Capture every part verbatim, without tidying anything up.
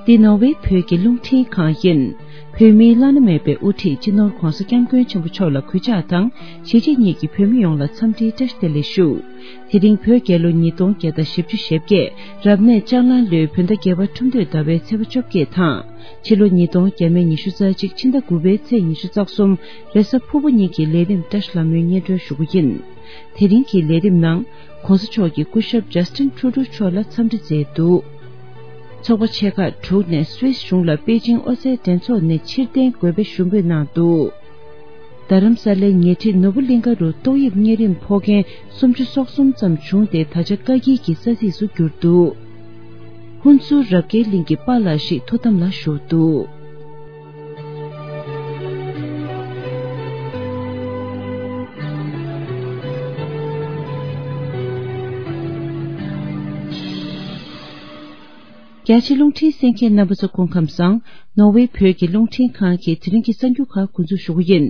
འདི་ནོར་ཝེ་བོད་ཀྱི་རླུང་འཕྲིན་ཁང་ཡིན། བོད་མིའི་བླ་ན་མེད་པའི་དབུ་ཁྲིད་སྤྱི་ནོར་ྋགོང་ས་ྋསྐྱབས་མགོན་ཆེན་པོ་མཆོག་ལ་གུས་ཕྱག་དང་གཞིས་བྱེས་གཉིས་ཀྱི་བོད་མི་ཡོངས་ལ་འཚམས་འདྲིའི་བཀྲ་ཤིས་བདེ་ལེགས་ཞུ། དེ་རིང་བོད་རྒྱལ་ལོ་ཉིས་སྟོང་བརྒྱ་དང་བཞི་བཅུ་ཞེ་བརྒྱད། རབ་གནས་ལྕགས་གླང་ལོའི་བོད་ཟླ་བརྒྱད་པ་ཁྲུམས་སྟོད་ཟླ་བའི་ཚེས་པ་བཅོ་བརྒྱད་དང་། ཕྱི་ལོ་ཉིས་སྟོང་བརྒྱ་མེད་ཉི་ཤུ་རྩ་གཅིག་ཕྱི་ཟླ་དགུ་པའི་ཚེས་ཉི་ཤུ་རྩ་གསུམ། རེས་གཟའ་ཕུར་བུ་ཉིན་གྱི་ལས་རིམ་བཀྲ་ཤིས་ལྷ་མོའི་སྙན་སྒྲོན་ཞུ་རྒྱུ་ཡིན། དེ་རིང་གི་ལས་རིམ་ནང་། ྋགོང་ས་མཆོག་གིས་སྐུ་ཞབས་ཇ་སི་ཊིན་ཁྲུ་ཌོ་མཆོག་ལ་འཚམས་འདྲི་མཛད་འདུག་ཚོགས་པ་ཆེ་ཁག་དྲུག་ནས་སུད་སི་གཞུང་ལ་པེ་ཅིང་ཨོ་རྩལ་འགྲན་ཚོགས་ནས་ཕྱིར་འཐེན་དགོས་པའི་ཞུ་འབོད་གནང་འདུག་རྡ་རམ་ས་ལའི་ཉེ་འཁྲིས་ནོར་བུ་གླིང་ཁ་རུ་ཏོག་དབྱིབས་གཉན་རིམས་ཕོག་མཁན་སུམ་ཅུ་སོ་གསུམ་ཙམ་བྱུང་སྟེ། ད་ཆ་བཀག་སྐྱིལ་གྱི་ས་ཚིགས་སུ་གྱུར་འདུག་ཧུན་སུར་རབ་དགའི་གླིང་གི་པཱ་ལགས་ཤིག་ཐུགས་དམ་ལ་བཞུགས་འདུག་རྒྱ་ཆེ་རླུང་འཕྲིན་གསན་མཁན་རྣམ་པ་ཚོ་སྐུ་ཁམས་བཟང་། ནོར་ཝེ་བོད་ཀྱི་རླུང་འཕྲིན་ཁང་གི་དེ་རིང་གི་གསར་འགྱུར་ཁག་འགོ་འཛུགས་ཞུ་གི་ཡིན།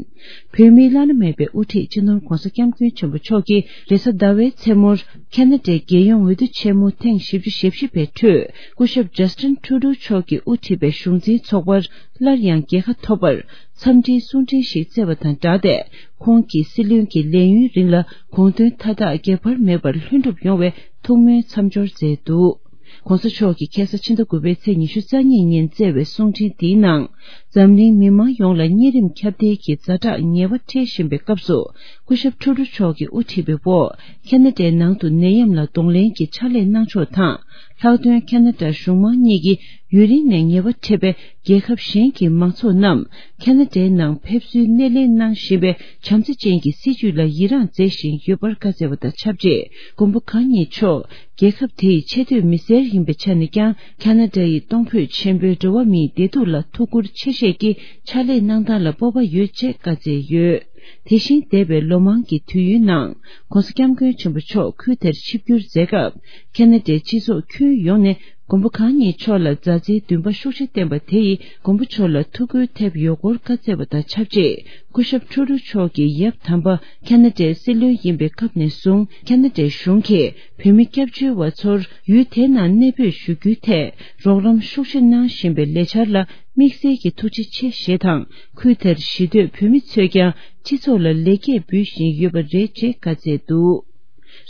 བོད་མིའི་བླ་ན་མེད་པའི་དབུ་ཁྲིད་སྤྱི་ནོར་ྋགོང་ས་ྋསྐྱབས་མགོན་ཆེན་པོ་མཆོག་གིས་རེས་གཟའ་ཟླ་བའི་མཚན་མོར་ཁ་ན་ཌའི་རྒྱལ་ཡོངས་འོས་བསྡུ་ཆེན་མོ་ཐེངས་བཞི་བཅུ་ཞེ་བཞི་པའི་ཁྲོད་སྐུ་ཞབས་ཇ་སི་ཊིན་ཁྲུ་ཌོ་མཆོག་གིས་དབུ་ཁྲིད་པའི་གཞུང་འཛིན་ཚོགས་པར་སླར་ཡང་རྒྱལ་ཁ་ཐོབ་པར་འཚམས་འདྲིའི་གསུང་འཕྲིན་ཞིག་བསྩལ་བ་དང་སྦྲགས་ཏེ། ཁོང་གིས་སྲིད་བློན་གྱི་ལས་ཡུན་རིང་ལ་དགོངས་དོན་མཐའ་དག་འགྱུར་བ་མེད་པར་ལྷུན་གྲུབ་ཡོང་བའི་ཐུགས་སྨོན་མཚམས་སྦྱོར་མཛད་འདུག ྋགོང་ས་མཆོག་གིས་ཁ་སང་ཕྱི་ཟླ་དགུ་པའི་ཚེས་ཉི་ཤུ་རྩ་གཉིས་ཉིན་བསྩལ་བའི་གསུང་འཕྲིན་འདིའི་ནང་། འཛམ་གླིང་མི་མང་ཡོངས་ལ་གཉན་རིམས་ཁྱབ་གདལ་གྱི་ཛ་དྲག་ངལ་བ་འཕྲད་བཞིན་པའི་སྐབས་སུ། སྐུ་ཞབས་ཁྲུ་ཌོ་མཆོག་གིས་དབུ་ཁྲིད་པའི་འོག་ཁ་ན་ཌའི་ནང་དུ་ནད་ཡམས་ལ་གདོང་ལེན་གྱི་ཕྱག་ལས་གནང་ཕྱོགས་དང་། ལྷག་དོན་ཁ་ན་ཌ་གཞུང་མང་གཉིས་ཀྱིས་ཡུན་རིང་ནས་ངལ་བ་འཕྲད་པའི་རྒྱལ་ཁབ་གཞན་གྱི་མང་ཚོགས་རྣམས་ཁ་ན་ཌའི་ནང་ཕེབས་བསུའི་སྣེ་ལེན་གནང་བཞིན་པའི་བྱམས་བརྩེ་ཅན་གྱི་སྲིད་བྱུས་ལ་ཡི་རངས་མཛད་བཞིན་ཡོད་པར་བཀའ་སྩལ་བ་དང་ཆབས་ཅིག་མགོན་པོ་གང་ཉིད་མཆོག་རྒྱལ་ཁབ་དེའི་ཆེས་མཐོའི་མི་སེར་ཡིན་པའི་ཆ་ནས་ཀྱང་ཁ་ན་ཌ་ཡི་གཏོང་ཕོད་ཆེན་པོའི་འགྲོ་བ་མིའི་བདེ་སྡུག་ལ་ཐུགས་ཁུར་ཆེ་བཞེས་ཀྱིས་ཕྱག་ལས་གནང་སྟངས་ལ་སྤོབས་པ་ཡོད་ཅེས་བཀའ་སྩལ་ཡོད། དེ་བཞིན་འདས་པའི་ལོ་མང་གི་དུས་ཡུན་ནང་ྋགོང་ས་ྋསྐྱབས་མགོན་ཆེན་པོ་མཆོག་ཁུལ་དེར་ཆིབས་བསྒྱུར་མཛད་སྐབས། ཁ་ན་ཌའི་སྤྱི་ཚོགས་ཁྱོན་ཡོངས་ནས་མགོན་པོ་གང་ཉིད་མཆོག་ལ་མཛའ་བརྩེའི་འདུན་པ་ཤུགས་ཆེ་བསྟན་པ་དེ་ཡིས་མགོན་པོ་མཆོག་ལ་ཐུགས་ཁུར་ཐེབས་ཡོད་སྐོར་བཀའ་སྩལ་བ་དང་ཆབས་ཅིག་སྐུ་ཞབས་ཁྲུ་ཌོ་མཆོག་གིས་ཡབ་དམ་པ་ཁ་ན་ཌའི་སྲིད་བློན་ཡིན་པའི་སྐབས་ནས་བཟུང་ཁ་ན་ཌའི་གཞུང་གིས་བོད་མི་སྐྱབས་བཅོལ་བ་ཚོར་ཡུལ་དེ་ནང་གནས་སྤོས་ཞུ་རྒྱུའི་ཐད་རོགས་རམ་ཤུགས་ཆེ་གནང་བཞིན་པའི་ལས་འཆར་ལ། དམིགས་བསལ་གྱི་ཐུགས་རྗེ་ཆེ་ཞེས་དང་། ཁུལ་དེར་གཞིས་སྡོད་བོད་མི་ཚོས་ཀྱང་སྤྱི་ཚོགས་ལ་ལེགས་སྐྱེས་འབུལ་བཞིན་ཡོད་པ་རེད་ཅེས་བཀའ་སྩལ་འདུག་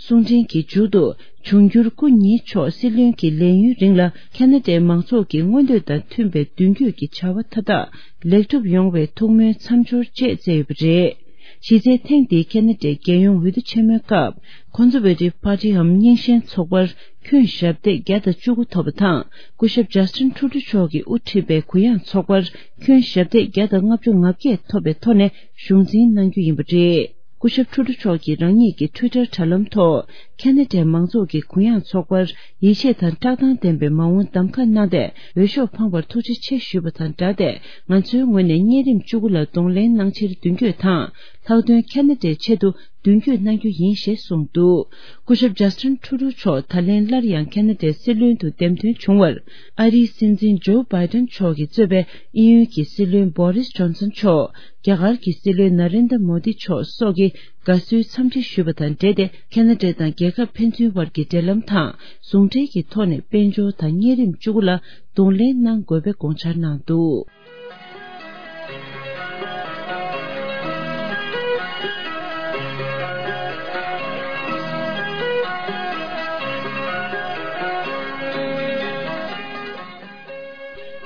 གསུང་འཕྲིན་གྱི་མཇུག་ཏུ། འབྱུང་འགྱུར་སྐུ་ཉིད་མཆོག་སྲིད་བློན་གྱི་ལས་ཡུན་རིང་ལ་ཁ་ན་ཌའི་མང་ཚོགས་ཀྱི་མངོན་འདོད་དང་མཐུན་པའི་མདུན་སྐྱོད་ཀྱི་བྱ་བ་མཐའ་དག་ལེགས་གྲུབ་ཡོང་བའི་ཐུགས་སྨོན་མཚམས་སྦྱོར་བཅས་བསྩལ་ཡོད་པ་རེད། གཞི་རྩའི་ཐེངས་འདིའི་ཁ་ན་ཌའི་རྒྱལ་ཡོངས་འོས་བསྡུ་ཆེན་མོའི་སྐབས། Conservative Partyའམ་རྙིང་ཞེན་ཚོགས་པར་ཁྱོན་ཞབས་སྟེགས་བརྒྱ་དང་བཅུ་དགུ་ཐོབ་པ་དང་། སྐུ་ཞབས་ཇ་སི་ཊིན་ཁྲུ་ཌོ་མཆོག་གིས་དབུ་ཁྲིད་པའི་གུ་ཡངས་ཚོགས་པར་ཁྱོན་ཞབས་སྟེགས་བརྒྱ་དང་ལྔ་བཅུ་ང་བརྒྱད་ཐོབ་པའི་ཐོག་ནས་གཞུང་འཛིན་གནང་རྒྱུ་ཡིན་པ་རེད། སྐུ་ཞབས་ཁྲུ་ཌོ་མཆོག་གིས་རང་ཉིད་ཀྱི་ཊུའི་ཊར་དྲ་ལམ་ཐོག་ཁ་ན་ཌའི་མང་ཚོགས་ཀྱི་གུ་ཡངས་ཚོགས་པར་ཡིད་ཆེས་དང་བཀྲག་མདངས་ལྡན་པའི་མ་འོངས་གདམ་ཁ་གནང་སྟེ། འོས་ཤོག་འཕངས་པར་ཐུགས་རྗེ་ཆེ་ཞུས་པ་དང་སྦྲགས་ཏེ། ང་ཚོའི་ངོས་ནས་གཉན་རིམས་བཅུ་དགུ་ལ་གདོང་ལེན་གནང་ཕྱིར་མདུན་སྐྱོད་དང་། ལྷག་དོན་ཁ་ན་ཌའི་ཆེད་དུ་མདུན་སྐྱོད་གནང་རྒྱུ་ཡིན་ཞེས་གསུངས་འདུག་སྐུ་ཞབས་ཇ་སི་ཊིན་ཁྲུ་ཌོ་མཆོག་ད་ལན་སླར་ཡང་ཁ་ན་ཌའི་སྲིད་བློན་དུ་འདེམས་ཐོན་བྱུང་བར། ཨ་རིའི་སྲིད་འཛིན་ཇོ་བྷའི་ཌེན་མཆོག་གིས་གཙོས་པའི་དབྱིན་ཡུལ་གྱི་སྲིད་བློན་བྷོ་རིས་ཇོན་སན་མཆོག་རྒྱ་གར་གྱི་སྲིད་བློན་ན་རེན་དྲ་མོ་དི་མཆོག་སོགས་ཀྱིས་དགའ་བསུའི་འཚམས་འདྲི་ཞུས་པ་དང་འབྲེལ་ཏེ། ཁ་ན་ཌ་དང་རྒྱལ་ཁབ་ཕན་ཚུན་བར་གྱི་འབྲེལ་ལམ་དང་ཟུང་འབྲེལ་གྱི་ཐོག་ནས་དཔལ་འབྱོར་དང་གཉན་རིམས་བཅུ་དགུ་ལ་གདོང་ལེན་གནང་དགོས་པའི་དགོངས་འཆར་གནང་འདུག་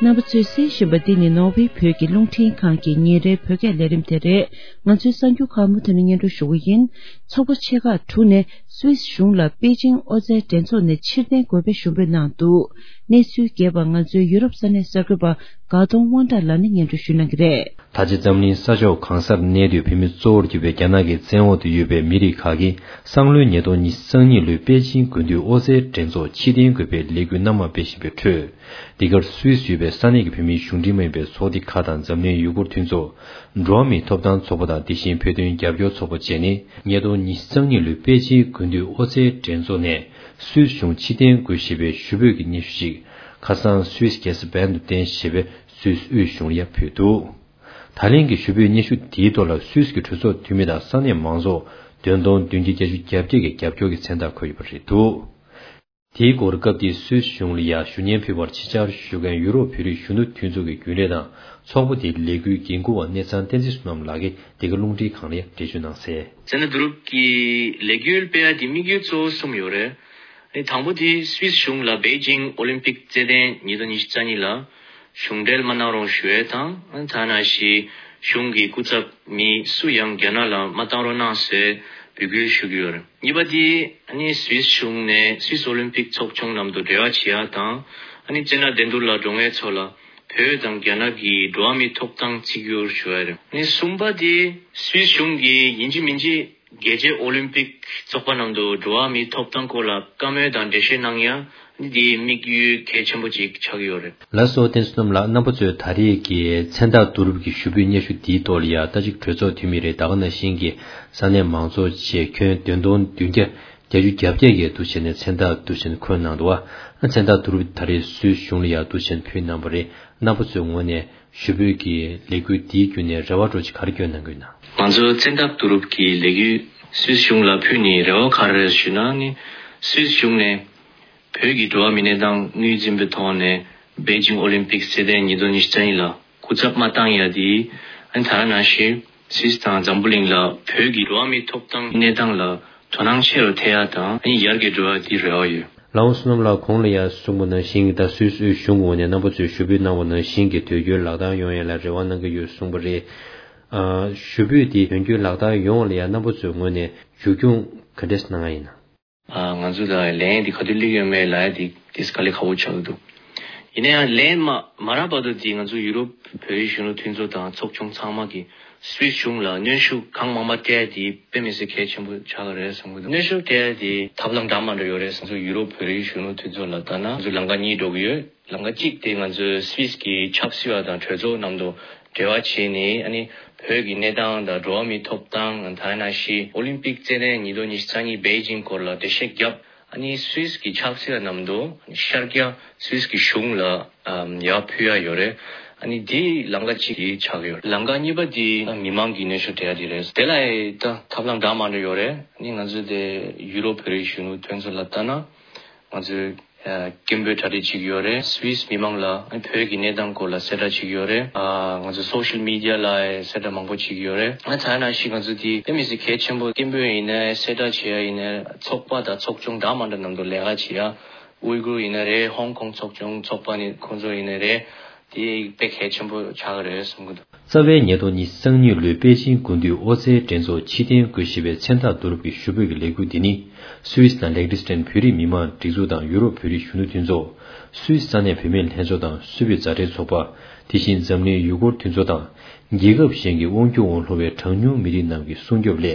རྣམ་པ་ཚོས་གསན་བཞིན་པ་འདི་ནི་ནོར་ཝེ་བོད་ཀྱི་རླུང་འཕྲིན་ཁང་གི་ཉིན་རེའི་བོད་སྐད་ལས་རིམ་དེ་རེད། ང་ཚོའི་གསར་འགྱུར་ཁག་མུ་མཐུད་ནས་སྙན་སྒྲོན་ཞུ་གི་ཡིན། ཚོགས་པ་ཆེ་ཁག་དྲུག་ནས་སུད་སི་གཞུང་ལ་པེ་ཅིང་ཨོ་རྩལ་འགྲན་ཚོགས་ནས་ཕྱིར་འཐེན་དགོས་པའི་ཞུ་འབོད་གནང་འདུག་གནས་ཚུལ་རྒྱས་པ་ང་ཚོའི་ཡུ་རོབ་ས་གནས་གསར་འགོད་པ་དགའ་གདོང་དབང་གྲགས་ལགས་ནས་སྙན་སྒྲོན་ཞུ་གནང་གི་རེད། ད་ཆ་འཛམ་གླིང་ས་ཕྱོགས་གང་སར་གནས་སྡོད་བོད་མི་གཙོ་བོར་གྱུར་པའི་རྒྱ་ནག་གི་བཙན་འོག་ཏུ་ཡོད་པའི་མི་རིགས་ཁག་གིས་སང་ལོའི་ཉིས་སྟོང་ཉི་ཤུ་རྩ་གཉིས་ལོའི་པེ་ཅིང་དགུན་དུས་ཨོ་རྩལ་འགྲན་ཚོགས་ཕྱིར་འཐེན་དགོས་པའི་ལས་འགུལ་སྣ་མང་སྤེལ་བཞིན་པའི་ཁྲོད། འདི་གར་སུད་སི་ཡོད་པའི་ས་གནས་ཀྱི་བོད་མིའི་གཞུང་འབྲེལ་མ་ཡིན་པའི་ཚོགས་སྡེ་ཁག་དང་འཛམ་གླིང་ཡུ་གུར་མཐུན་ཚོགས། འགྲོ་བ་མིའི་ཐོབ་ཐང་ཚོགས་པ་དང་དེ་བཞིན་བོད་དོན་རྒྱབ་སྐྱོར་ཚོགས་པ་བཅས་ནས་ཉིས་སྟོང་ཉི་ཤུ་རྩ་གཉིས་ལོའི་པེ་ཅིང་དགུན་དུས་ཨོ་རྩལ་འགྲན་ཚོགས་ནས་སུད་སི་གཞུང་ཕྱིར་འཐེན་དགོས་ཞེས་པའི་ཞུ་འབོད་ཀྱི་སྙན་ཞུ་ཞིག་ཁ་སང་སུད་སི་རྒྱལ་ས་བྷན་དུ་བཏོན་ཞེས་པའི་སུད་སི་དབུས་གཞུང་ལ་ཡང་ཕུལ་འདུག་ད་ལན་གྱི་ཞུ་འབོད་སྙན་ཞུ་དེའི་ཐོག་ལ་སུད་སི་གི་གྲོས་ཚོགས་འཐུས་མི་དང་ས་གནས་མང་ཚོགས་བདུན་སྟོང་བདུན་བརྒྱ་བརྒྱད་ཅུ་གྱ་བརྒྱད་ཀྱིས་རྒྱབ་སྐྱོར་གྱི་མཚན་རྟགས་འཁོད་ཡོད་པ་རེད་འདུག་དེའི་སྐོར་སྐབས་དེའི་སུད་སི་གཞུང་ལ་ཡང་ཞུ་སྙན་ཕུལ་བར་ཆེད་བཅར་ཞུ་མཁན་ཡུ་རོབ་བོད་རིགས་གཞོན་ནུ་མཐུན་ཚོགས་ཀྱི་རྒྱུན་ལས་དང་ཚོགས་པ་དེའི་ལས་འགུལ་འགན་འཁུར་བ་གནས་ཚང་བསྟན་འཛིན་བསོད་ནམས་ལགས་ཀྱིས་འདི་ག་རླུང་འཕྲིན་ཁང་ལ་འགྲེལ་བརྗོད་གནང་གསལ། ཙན་དན་བསྡུ་རུབ་ཀྱི་ལས་འགུལ་སྤེལ་ཡ་དེ་དམིགས་ཡུལ་གཙོ་བོ་གསུམ་ཡོད་རེད། ཨ་ནི་དང་པོ་དེ་སུད་སི་གཞུང་ལ་པེ་ཅིང་ཨོ་ལིམ་པིག་རྩེད་ལྡན་ཉིས་སྟོང་ཉི་ཤུ་རྩ་གཉིས་ལ་གཞུང་འབྲེལ་མ་གནང་རོགས་ཞུ་ཡས་དང་། ཨ་ནི་ཐ་ན་ཞིག་གཞུང་གི་སྐུ་ཚབ་མི་སུ་ཡང་རྒྱ་ནག་ལ་མ་བཏང་རོགས་གནང་ཟེར་འབོད་སྐུལ་ཞུ་གི་ཡོད་རེད། གཉིས་པ་དེ་ཨ་ནི་སུད་སི་གཞུང་ནས་སུད་སི་ཨོ་ལིམ་པིག་ཚོགས་ཆུང་ནང་དུ་འབྲེལ་བ་བྱེད་ཡ་དང་། ཨ་ནི་རྩེད་འགྲན་འགྲན་བསྡུར་ལ་འགྲོ་མཁན་ཚོ་ལ་བོད་དང་རྒྱ་ནག་གི་འགྲོ་བ་མིའི་ཐོབ་ཐང་བརྩི་བཀུར་ཞུ་ཡ་རེད། ཨ་ནི་གསུམ་པ་དེ་སུད་སི་གཞུང་གིས་ཡིན་གཅིག་མིན་གཅིག་རྒྱལ་སྤྱིའི་ཨོ་ལིམ་པིག་ཚོགས་པ་ནང་དུ་འགྲོ་བ་མིའི་ཐོབ་ཐང་སྐོར་ལ་བཀའ་མོལ་དང་འགྲེལ་བཤད་གནང་ཡ། ཨ་ནི་དེའི་དམིགས་ཡུལ་གལ་ཆེན་པོ་ཅིག་ཆགས་ཀྱི་ཡོད་རེད། ལགས་སོ། བསྟན་འཛིན་བསོད་ནམས་ལགས། རྣམ་པ་ཚོས་ད་རེས་ཀྱི་མཚན་རྟགས་བསྡུ་རུབ་ཀྱི་ཞུ་འབོད་སྙན་ཞུ་འདིའི་ཐོག་ལ་ཡ་ད་ཅིག་གྲོས་ཚོགས་འཐུས་མི་རེད། ད་ག་ནང་བཞིན་གྱི་ས་གནས་མང་ཚོགས་བཅས་ཁྱོན་བདུན་སྟོང་བདུན་བརྒྱ་བརྒྱད་ཅུ་གྱ་བརྒྱད་ཀྱིས་འདུག་བྱས་ནས་མཚན་རྟགས་འདུག་བྱས་ནས་འཁོད་གནང་འདུག་བ། མཚན་རྟགས་བསྡུ་རུབ་ད་རེས་སུད་སི་གཞུང་ལ་ཡ་འདུག་བྱས་ནས་ཕུལ་གནང་བ་རེད། རྣམ་པ་ཚོའི་ངོས་ནས་ཞུ་འབོད་ཀྱི་ལས་འགུལ་འདིའི་བརྒྱུད་ནས་རེ་བ་འདྲ་ཅིག་ག་རེ་བསྐྱོན་གནང་གི་ཡོད་ན། ང་ཚོ་མཚན་རྟགས་བསྡུ་རུབ་ཀྱི་ལས་འགུལ་སུད་སི་གཞུང་ལ་ཕུལ་ནས་རེ་བ་ག་རེ་ཞུ་ན་ནི། སུད་སི་གཞུང་ནས་བོད་ཀྱི་འགྲོ་བ་མིའི་གནས་སྟངས་ངོས་འཛིན་པའི་ཐོག་ནས་པེ་ཅིང་ཨོ་ལིམ་པིག་རྩེད་ལྡན་ཉིས་སྟོང་ཉི་ཤུ་རྩ་གཉིས་ལ་སྐུ་ཚབ་མ་བཏང་ཡ་དེ། ཨ་ནི་ད་ག་ནང་བཞིན་སུད་སི་དང་འཛམ་བུ་གླིང་ལ་བོད་ཀྱི་འགྲོ་བ་མིའི་ཐོབ་ཐང་གནས་སྟངས་ལ་དོ་སྣང་ཆེ་རུ་ཐེབས་ཡ་དང་། ཨ་ནི་ཡར་རྒྱས་འགྲོ་ཡ་དེ་རེ་བ་ཡོད། ལགས་འོང་། བསོད་ནམས་ལགས་གོང་ལ་ཡང་གསུངས་པ་ནང་བཞིན་གྱི་ད་སུད་སི་དབུས་གཞུང་གི་ངོས་ནས་རྣམ་པ་ཚོས་ཞུ་འབོད་གནང་བ་ནང་བཞིན་གྱི་དོན་འཁྱོལ་ལག་བསྟར་ཡོང་ཡ་ལ་རེ་བ་གནང་གི་ཡོད་གསུངས་པ་རེད། ཨ། ཞུ་འབོད་དེ་དོན་འཁྱོལ་ལག་བསྟར་ཡོང་བ་ལ་ཡང་རྣམ་པ་ཚོའི་ངོས་ནས་མཇུག་སྐྱོང་ག་འདྲས་གནང་ཡ་ཡིན་ན། ཨ། ང་ཚོ་ལ་ལན་དེ་ག་དུས་སླེབས་ཡོད་མེད་ལབ་ཡ་དེ་དེ་དཀའ་ལས་ཁག་པོ་ཆགས་ཀྱི་འདུག་ཡིན་ན་ཡང་ལན་མ་མ་རག་བར་དུ་དེ་ང་ཚོ་ཡུ་རོབ་བོད་རིགས་གཞོན་ནུ་མཐུན་ཚོགས་དང་ཚོགས་ཆུང་ཚང་མ་གིས་སུད་སི་གཞུང་ལ་གནོན་ཤུགས་གང་མང་མང་སྤྲད་ཡ་དེ་དཔེ་མི་སྲིད་གལ་ཆེན་པོ་ཆགས་ཀྱི་རེད་བསམ་གྱི་འདུག་གནོན་ཤུགས་སྤྲད་ཡ་དེ་ཐབས་ལམ་འདྲ་མི་འདྲ་ཡོད་རེད་བསམ། ང་ཚོ་ཡུ་རོབ་བོད་རིགས་གཞོན་ནུ་མཐུན་ཚོགས་ལ་ལྟ་ན་ང་ཚོ་ལམ་ཁ་གཉིས་འགྲོ་གི་ཡོད། ལམ་ཁ་གཅིག་དེ་ང་ཚོའི་སུད་སི་གི་ཆབ་སྲིད་པ་དང་གྲོས་ཚོགས་ནང་དུ་འབྲེལ་བ་བྱས་ནས། ཨ་ནི་བོད་ཀྱི་གནས་སྟངས་དང་འགྲོ་བ་མིའི་ཐོབ་ཐང་། ད་ནང་བཞིན་ཨོ་ལིམ་པིག་རྩེད་འགྲན་ཉིས་སྟོང་ཉི་ཤུ་རྩ་གཉིས་པེ་ཅིང་སྐོར་ལ་འགྲེལ་བཤད་བརྒྱབ། ཨ་ནི་སུད་སི་གི་ཆབ་སྲིད་པ་རྣམས་དང་ཤར་རྒྱག་སུད་སི་གི་གཞུང་ལ་ཡར་ཕུལ་ཡ་ཡོད་རེད། ཨ་ནི་དེ་ལམ་ཁ་གཅིག་དེ་ཆགས་ཡོད། ལམ་ཁ་གཉིས་པ་དེ་མི་མང་གི་གནོན་ཤུགས་སྤྲད་ཡ་དེ་རེད། དེ་ལ་ད་ཐབས་ལམ་འདྲ་མི་འདྲ་ཡོད་རེད། ཨ་ནི་ང་ཚོ་དེ་ཡུ་རོབ་བོད་རིགས་གཞོན་ནུ་མཐུན་ཚོགས་ལ་ལྟ་ན། ང་ཚོས་ཨ་སྐད་འབོད་གྲ་སྒྲིག་བྱེད་ཀྱི་ཡོད་རེད། སུད་སི་མི་མང་ལ་ཨ་བོད་ཀྱི་གནས་སྟངས་སྐོར་ལ་གསལ་བསྒྲགས་བྱེད་ཀྱི་ཡོད་རེད། ཨ་ང་ཚོ་སོ་ཤལ་མི་ཌི་ཡ་ལ་གསལ་བསྒྲགས་མང་པོ་བྱེད་ཀྱི་ཡོད་རེད། ཨ་ད་ནང་བཞིན་ང་ཚོ་དེ་དཔེ་མི་སྲིད་གལ་ཆེན་པོ། སྐད་འབོད་ཡིན་ནའི་གསལ་བསྒྲགས་བྱེད་ཡ་ཡིན་ནའི་ཚོགས་པ་དང་ཚོགས་ཆུང་འདྲ་མི་འདྲ་ནང་དུ་ལས་ཀ་བྱེད་ཡ། ཝུའི་གུར་ཡིན་ནའི་རེད། ཧོང་ཀོང་ཚོགས་ཆུང་ཚོགས་པ་ནི་ཁོང་ཚོ་ཡིན་ནའི་རེད། དེ་དཔེ་གལ་ཆེན་པོ་ཆགས་ཀྱི་རེད་བསམ་གྱི་འདུག་རྩ་བའི་ཉིས་སྟོང་ཉི་ཤུ་རྩ་གཉིས་ལོའི་པེ་ཅིང་དགུན་དུས་ཨོ་རྩལ་འགྲན་ཚོགས་ཕྱིར་འཐེན་དགོས་ཞེས་པའི་མཚན་རྟགས་བསྡུ་རུབ་ཀྱི་ཞུ་འབོད་ཀྱི་ལས་འགུལ་འདི་ནི། སུད་སི་དང་ལེག་ཏི་སི་ཏན་བོད་རིགས་མི་མང་སྒྲིག་འཛུགས་དང་ཡུ་རོབ་བོད་རིགས་གཞོན་ནུ་མཐུན་ཚོགས། སུད་སི་ས་གནས་བུད་མེད་ལྷན་ཚོགས་དང་སུད་བོད་མཛའ་འབྲེལ་ཚོགས་པ། དེ་བཞིན་འཛམ་གླིང་ཡུ་གུར་མཐུན་ཚོགས་དང་། རྒྱལ་ཁབ་གཞན་གྱི་དབང་སྒྱུར་འོག་ལྷུང་བའི་གྲངས་ཉུང་མི་རིགས་རྣམས་ཀྱི་སྲུང་སྐྱོབ་སླད།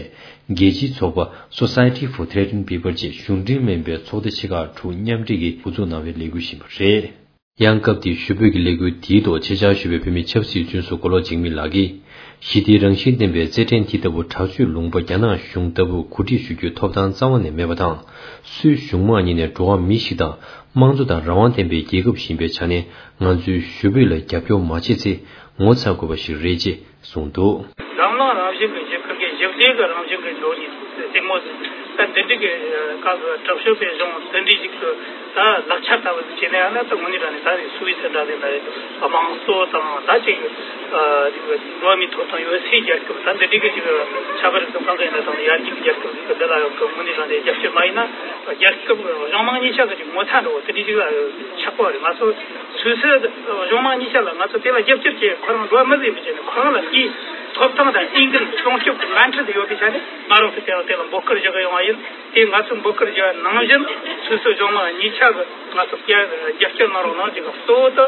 རྒྱལ་སྤྱིའི་ཚོགས་པ་Society for Threatened People བཅས་གཞུང་འབྲེལ་མིན་པའི་ཚོགས་སྡེ་ཆེ་ཁག་དྲུག་མཉམ་འབྲེལ་གྱིས་འགོ་འཛུགས་གནང་བའི་ལས་འགུལ་ཞིག་ཡིན་པ་རེད། ཡང་སྐབས་དེའི་ཞུ་འབོད་ཀྱི་ལས་འགུལ་དེའི་ཐོག་ཆེད་བཅར་ཞུས་པའི་བོད་མིའི་ཆབ་སྲིད་བཙོན་ཟུར་མགོ་ལོག་འཇིགས་མེད་ལགས་ཀྱིས། ཞི་བདེའི་རང་བཞིན་ལྡན་པའི་རྩེད་འགྲན་དེ་ལྟ་བུ་དྲག་སྤྱོད་ལུང་པ་རྒྱ་ནག་གཞུང་ལྟ་བུར་གོ་སྒྲིག་ཞུ་རྒྱུའི་ཐོབ་ཐང་རྩ་བ་ནས་མེད་པ་དང་། སུད་སི་གཞུང་མང་གཉིས་ནས་འགྲོ་བ་མི་ཞིག་དང་། དམངས་གཙོ་དང་རང་དབང་ལྡན་པའི་རྒྱལ་ཁབ་ཞིག་ཡིན་པའི་ཆ་ནས། ང་ཚོའི་ཞུ་འབོད་ལ་རྒྱབ་སྐྱོར་མ་བྱས་ཚེ་ངོ་ཚ་དགོས་པ་ཞིག་རེད་ཅེས་གསུངས་འདུག་འཛམ་གླིང་རང་བཞིན་གྱི་ཞི་བདེ་གི་ཞི་བདེ་གི་རང་བཞིན་གྱི་འགྲོ་ནི་ལྟད་མོ་ཟིག་ད་འདི་འདྲ་གི་སྐབས་སུ་དྲག་ཤོས་པའི་གཞུང་འདི་འདྲ་ཞིག་ཏུ་ད་ལག་ཆ་ལྟ་བུ་ཟིག་བྱས་ན་ཡང་ན། ད་དངོས་གནས་དྲང་གནས་ད་རེས་སུད་སི་འདྲ་ཟིག་ན་རེད། དམངས་གཙོ་དང་ད་ཅིག་འགྲོ་བ་མིའི་ཐོབ་ཐང་ཡོད་སའི་རྒྱལ་ཁབ། ད་འདི་འདྲ་གི་ཅིག་ཆབ་སྲིད་ཀྱི་གང་ག་ཡིན་ན་དང་ཡར་རྒྱས་ཀྱི་རྒྱལ་ཁབ་ཟིག་གི་འདི་ལ་ཡང་དངོས་གནས་དྲང་གནས་རྒྱབ་སྐྱོར་མ་ཡིན་ན། རྒྱལ་ཁབ་གཞུང་མང་གཉིས་ཆ་གི་ཅིག་ངོ་ཚ་འགྲོ་བ་དེ་འདྲ་ཞིག་ལ་ཆགས་པ་རེད། ང་ཚོ་སུད་སི་གཞུང་མང་གཉིས་ཆ་ལ་ང་ཚོ་དེ་ལ་རྒྱབ་སྐྱོར་བྱེད། ཁོ་རང་འགྲོ་བ་མི་ཟིག་མི་བྱེད་ནས་ཁོ་རང་ལ་དེའི་ཐོབ་ཐང་དང་འོས་འགན་སྲུང་སྐྱོབ་ཀྱི་འགན་འཁྲི་དེ་ཡོད་པའི་ཆ་ནས་ང་རང་ཚོ་དེ་ལ་དེ་ལ་འབོད་སྐུལ་བྱེད་གི་ཡོང་བ་ཡིན། དེ་ང་ཚོ་འབོད་སྐུལ་བྱེད་ནང་བཞིན་སུད་སི་གཞུང་མང་གཉིས་ཆ་གི་ང་ཚོ་རྒྱབ་སྐྱོར་གནང་རོགས་གནང་ཅིག་གཙོ་བོ་དེ་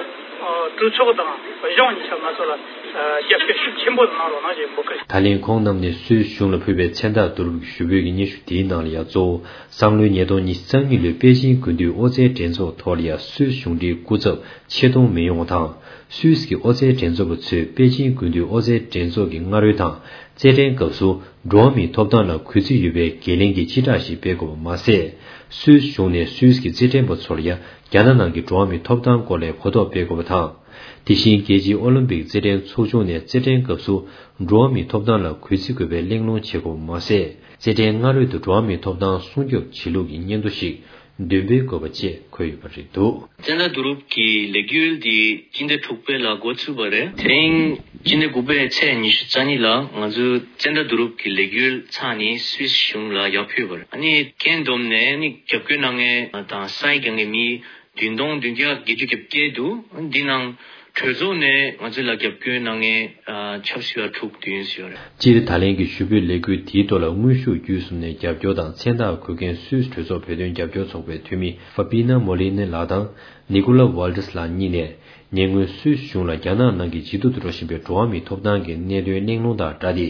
གྲོས་ཚོགས་དང་གཞུང་གཉིས་ཆ་ང་ཚོ་ལ་རྒྱབ་སྐྱོར་ཤུགས་ཆེན་པོ་གནང་རོགས་གནང་ཅེས་འབོད་སྐུལ། ད་ལན་ཁོང་རྣམས་ནས་སུད་སི་གཞུང་ལ་ཕུལ་བའི་མཚན་རྟགས་བསྡུ་རུབ་ཀྱི་ཞུ་འབོད་ཀྱི་སྙན་ཞུ་དེའི་ནང་ལ་ཡང་གཙོ་བོ། སང་ལོའི་ཉིས་སྟོང་ཉི་ཤུ་རྩ་གཉིས་ལོའི་པེ་ཅིང་དགུན་དུས་ཨོ་རྩལ་འགྲན་ཚོགས་ཐོག་ལ་ཡང་སུད་སི་གཞུང་འབྲེལ་སྐུ་ཚབ་ཆེད་གཏོང་མི་ཡོང་བ་དང་། སུད་སི་གི་ཨོ་རྩལ་འགྲན་ཚོགས་པ་ཚོས་པེ་ཅིང་དགུན་དུས་ཨོ་རྩལ་འགྲན་ཚོགས་ཀྱི་སྔ་རོལ་དང་རྩེད་འགྲན་སྐབས་སུ་འགྲོ་བ་མིའི་ཐོབ་ཐང་ལ་གུས་བརྩི་ཡོད་པའི་འགན་ལེན་གྱི་སྤྱི་བསྒྲགས་ཤིག་སྤེལ་དགོས་པ་མ་ཟད། སུད་སི་གཞུང་ནས་སུད་སི་གི་རྩེད་འགྲན་པ་ཚོ་ལ་ཡང་རྒྱ་ནག་ནང་གི་འགྲོ་བ་མིའི་ཐོབ་ཐང་སྐོར་ལ་གོ་རྟོགས་སྤེལ་དགོས་པ་དང་། དེ་བཞིན་རྒྱལ་སྤྱིའི་ཨོ་ལིམ་པིག་རྩེད་འགྲན་ཚོགས་ཆུང་ནས་རྩེད་འགྲན་སྐབས་སུ་འགྲོ་བ་མིའི་ཐོབ་ཐང་ལ་གུས་བརྩི་དགོས་པའི་གླེང་སློང་བྱེད་དགོས་པ་མ་ཟད། རྩེད་འགྲན་སྔ་རོལ་དུ་འགྲོ་བ་མིའི་ཐོབ་ཐང་སྲུང་སྐྱོབ་བྱེད་ལུགས་ཀྱི་སྙན་ཐོ་ཞིག་འདོན་པའི་དགོས་པ་བཅས་འཁོད་ཡོད་པ་རེད་འདུག། ཙན་དན་བསྡུ་རུབ་ཀྱི་ལས་འགུལ་འདི་སྤྱི་ཟླ་དྲུག་པའི་ལ་འགོ་ཚུགས་པ་རེད། དེ་རིང་སྤྱི་ཟླ་དགུ་པའི་ཚེས་ཉི་ཤུ་རྩ་གཉིས་ལ་ང་ཚོས་ཙན་དན་བསྡུ་རུབ་ཀྱི་ལས་འགུལ་ཚར་ནས་སུད་སི་གཞུང་ལ་ཡར་ཕུལ་བ་རེད། ཨ་ནི་རྐྱེན་བསྡོམས་ནས་ཨ་ནི་རྒྱབ་སྐྱོར་གནང་མཁན་དང་ས་ཡ་བརྒྱད་ནས་མི་བདུན་སྟོང་བདུན་བརྒྱ་བརྒྱད་ཅུ་གྱ་བརྒྱད་འདུག། འདི་ནང་གྲོས་ཚོགས་ནས་ང་ཚོ་ལ་རྒྱབ་སྐྱོར་གནང་མཁན་ཨ་ཆབ་སྲིད་པ་དྲུག་བདུན་ཡོད་རེད། སྤྱིར་ད་ལན་གྱི་ཞུ་འབོད་ལས་འགུལ་དེའི་ཐོག་ལ་དངོས་ཤུགས་བརྒྱུད་གསུམ་ནས་རྒྱབ་སྐྱོར་དང་མཚན་རྟགས་འཁོད་མཁན་སུད་སི་གྲོས་ཚོགས་བོད་དོན་རྒྱབ་སྐྱོར་ཚོགས་པའི་འཐུས་མི་ཧྥ་པི་ན་མོ་ལི་ནི་ལགས་དང་ནི་ཀོ་ལ་ཝལ་ཏི་སི་ལགས་གཉིས་ནས། ཉེ་སྔོན་སུད་སི་གཞུང་ལ་རྒྱ་ནག་ནང་གི་ཇེ་སྡུག་ཏུ་འགྲོ་བཞིན་པའི་འགྲོ་བ་མིའི་ཐོབ་ཐང་གི་གནད་དོན་གླེང་སློང་དང་སྦྲགས་ཏེ།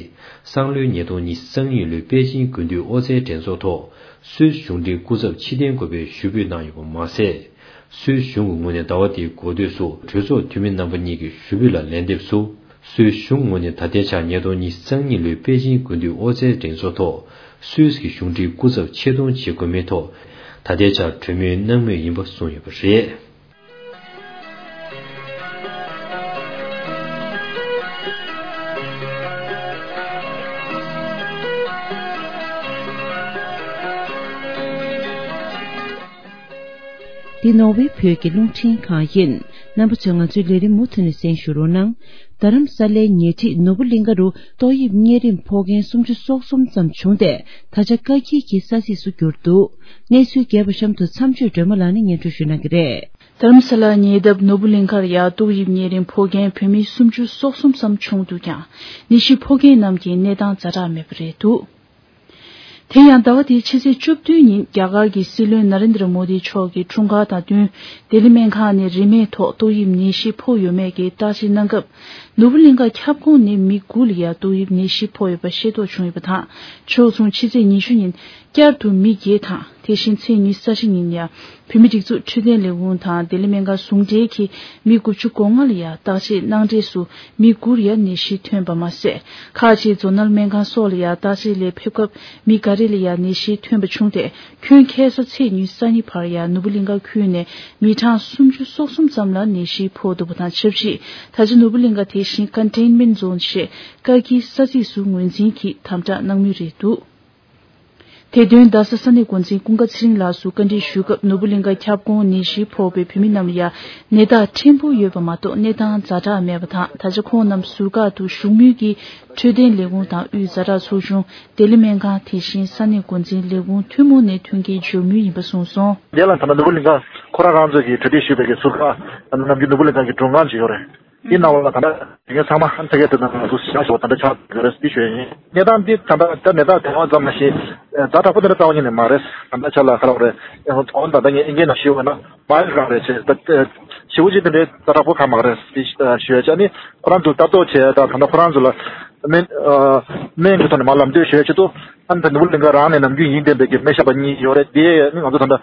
སང་ལོའི་ཉིས་སྟོང་ཉི་ཤུ་རྩ་གཉིས་ལོའི་པེ་ཅིང་དགུན་དུས་ཨོ་རྩལ་འགྲན་ཚོགས་ཐོག་སུད་སི་གཞུང་འབྲེལ་སྐུ་ཚབ་ཕྱིར་འཐེན་དགོས་པའི་ཞུ་འབོད་གནང་ཡོད་པ་མ་ཟད། སུད་སི་གཞུང་གི་ངོས་ནས་ཟླ་བ་འདིའི་འགོ་སྟོད་སུ་གྲོས་ཚོགས་འཐུས་མི་རྣམ་པ་གཉིས་ཀྱི་ཞུ་འབོད་ལ་ལན་འདེབས་སུ། སུད་སི་གཞུང་ངོས་ནས་ད་ལྟའི་ཆར་ཉིས་སྟོང་ཉི་ཤུ་རྩ་གཉིས་ལོའི་པེ་ཅིང་དགུན་དུས་ཨོ་རྩལ་འགྲན་ཚོགས་ཐོག་སུད་སི་གི་གཞུང་འབྲེལ་སྐུ་ཚབ་ཆེད་གཏོང་བྱེད་དགོས་མིན་ཐོག་ད་ལྟའི་ཆར་གྲོས་མོལ་གནང་མུས་ཡིན་པ་གསུངས་ཡོད་པ་རེད། འདི་ནོར་ཝེ་བོད་ཀྱི་རླུང་འཕྲིན་ཁང་ཡིན། རྣམ་པ་ཚོས་ང་ཚོའི་ལས་རིམ་མུ་མཐུད་ནས་གསན་ཞུ་རོགས་གནང་། རྡ་རམ་ས་ལའི་ཉེ་འཁྲིས་ནོར་བུ་གླིང་ཁ་རུ་ཏོག་དབྱིབས་གཉན་རིམས་ཕོག་མཁན་སུམ་ཅུ་སོ་གསུམ་ཙམ་བྱུང་སྟེ། ད་ཆ་བཀག་སྐྱིལ་གྱི་ས་ཚིགས་སུ་གྱུར་འདུག། གནས་ཚུལ་རྒྱས་པ་གཤམ་དུ་མཚམས་གཅོད་སྒྲོལ་མ་ལགས་ནས་སྙན་སྒྲོན་ཞུ་གནང་གི་རེད། རྡ་རམ་ས་ལ་ཉེ་འདབས་ནོར་བུ་གླིང་ཁར་ཡང་ཏོག་དབྱིབས་གཉན་རིམས་ཕོག་མཁན་བོད་མི་སུམ་ཅུ་སོ་གསུམ་ཙམ་བྱུང་འདུག་ཀྱང་། ནད་གཞི་ཕོག་མཁན་རྣམས་ཀྱི་གནས་སྟངས་ཛ་དྲག་མེད་པ་རེད་འདུག། དེ་ཡང་ཟླ་བ་འདིའི་ཕྱི་ཚེས་བཅུ་བདུན་ཉིན་རྒྱ་གར་གྱི་སྲིད་བློན་ན་རེན་དྲ་མོ་དི་མཆོག་གི་འཁྲུངས་སྐར་དང་བསྟུན། ལྡི་ལི་སྨན་ཁང་ནས་རིན་མེད་ཐོག་ཏོག་དབྱིབས་ནད་གཞི་ཕོག་ཡོད་མེད་ཀྱི་བརྟག་དཔྱད་གནང་སྐབས། ནོར་བུ་གླིང་ཁ་ཁྱབ་ཁོངས་ནས་མི་དགུ་ལ་ཡང་ཏོག་དབྱིབས་ནད་གཞི་ཕོག་ཡོད་པ་ཤེས་རྟོགས་བྱུང་ཡོད་པ་དང་། ཕྱོགས་མཚུངས་ཕྱི་ཚེས་ཉི་ཤུ་ཉིན་བསྐྱར་དུ་མི་བརྒྱད་དང་། དེ་བཞིན་ཚེས་ཉི་ཤུ་རྩ་བཞི་ཉིན་ཡང་བོད་མིའི་སྒྲིག་འཛུགས་འཕྲོད་བསྟེན་ལས་ཁུངས་དང་ལྡི་ལི་སྨན་ཁང་ཟུང་འབྲེལ་གྱིས་མི་དགུ་བཅུ་གོ་ལྔ་ལ་ཡང་བརྟག་དཔྱད་གནང་འབྲས་སུ། མི་དགུར་ཡང་ནད་གཞི་ཐོན་པ་མ་ཟད། ཁག་ཅིག་མཛོ་ནལ་སྨན་ཁང་སོགས་ལ་ཡང་བརྟག་དཔྱད་ལས་ཕེབས་སྐབས་མི་འགའ་རེ་ལ་ཡང་ནད་གཞི་ཐོན་པ་བྱུང་སྟེ། ཁྱོན་ཁ་སང་ཚེས་ཉི་ཤུ་རྩ་གཉིས་བར་ཡང་ནོར་བུ་གླིང་ཁ་ཁུལ་ནས་མི་གྲངས་སུམ་ཅུ་སོ་གསུམ་ཙམ་ལ་ནད་གཞི་ཕོག་འདུག་པ་དང་ཆབས་ཅིག། ད་ཆ་ནོར་བུ་གླིང་ཁ་དེ་བཞིན་ཀོན་ཊེན་མེན་ཊི་ཛོན་ཞེས་བཀག་སྐྱིལ་ས་ཚིགས་སུ་ངོས་འཛིན་གྱིས་དམ་དྲག་གནང་མུས་རེད་འདུག། དེ་དོན་རྡ་ས་ས་གནས་འགོ་འཛིན་ཀུན་དགའ་ཚེ་རིང་ལགས་སུ་བཀའ་འདྲི་ཞུས་སྐབས། ནོར་བུ་གླིང་ཁ་ཁྱབ་ཁོངས་ནད་གཞི་ཕོག་པའི་བོད་མི་རྣམས་ལ་ཡང་ནད་རྟགས་ཕྲན་བུ་ཡོད་པ་མ་གཏོགས་གནས་སྟངས་ཛ་དྲག་མེད་པ་དང་། ད་ཆ་ཁོང་རྣམས་ཟུར་བཀག་ཏུ་བཞུགས་མུས་ཀྱི་འཕྲོད་བསྟེན་ལས་ཁུངས་དང་དབུས་ཛ་དྲག་ཚོགས་ཆུང་། ལྡི་ལི་སྨན་ཁང་། དེ་བཞིན་ས་གནས་འགོ་འཛིན་ལས་ཁུངས་ཐུན་མོང་ནས་ཐོན་སྐྱེད་འབྱོར་མུས་ཡིན་པ་གསུངས་སོང་། དེ་ལ་ད་ལྟ་ནོར་བུ་གླིང་ཁ་ཁོ་རང་རང་ཚོ་གིས་གྲ་སྒྲིག་ཞུས་པའི་གི་ཟུར་བཀག་ནམ་རྒྱུན་ནོར་བུ་གླིང་ཁ་གི་མགྲོན་ཁང་ཅིག་ཡོད་རེད། དེའི་ནང་ལ་ད་ལྟ་དེ་གའི་ཚང་མ་ཧན་ཐ་གའི་དེ་ནང་ལ་ཚུར་ཞག་ཞོགས་ད་ལྟ་ཆགས་ཡོད་རེད་ཟེར་ཞུ་ཡ་ཡིན། གནས་སྟངས་འདི་ད་ལྟ་ད་ནད་རྟགས་དེ་བ་ཙམ་མ་ཞིག་ཛ་དྲག་པོ་དེ་འདྲ་རྩ་བ་ཉིད་ནས་མ་རེད། ད་ལྟ་ཆ་ལ་ག་རེ་རེད། ཨོ་ད་ལྟ་ངས་ཨིན་སྐད་ནང་ཞུས་པ་ན་མའིལ་གང་རེད་ཅེས། ད་ཞེ་པོ་ཅིག་དེ་འདྲའི་ཛ་དྲག་པོ་གང་མ་རེད་ཟེར་ཞུ་ཡ་ཅིག། ཨ་ནི་ཁོ་རང་ཚོ་ལྟ་རྟོག་བྱས། ད་ད་ལྟ་ཁོ་རང་ཚོ་ལ་སྨན་སྨན་གྱི་ཐོག་ནས་མ་ལམ་སྟོན་ཞུ་ཡ་ཆེད་དུ། ཨ་ནི་ད་ནོར་བུ་གླིང་ཁ་རང་ནས་ནམ་རྒྱུན་ཡིན་བསྡད་པའི་གི་སྨན་ཞབས་པ་གཉིས་ཡོད་རེད། དེ་ནི་ང་ཚོ་ད་ལྟ་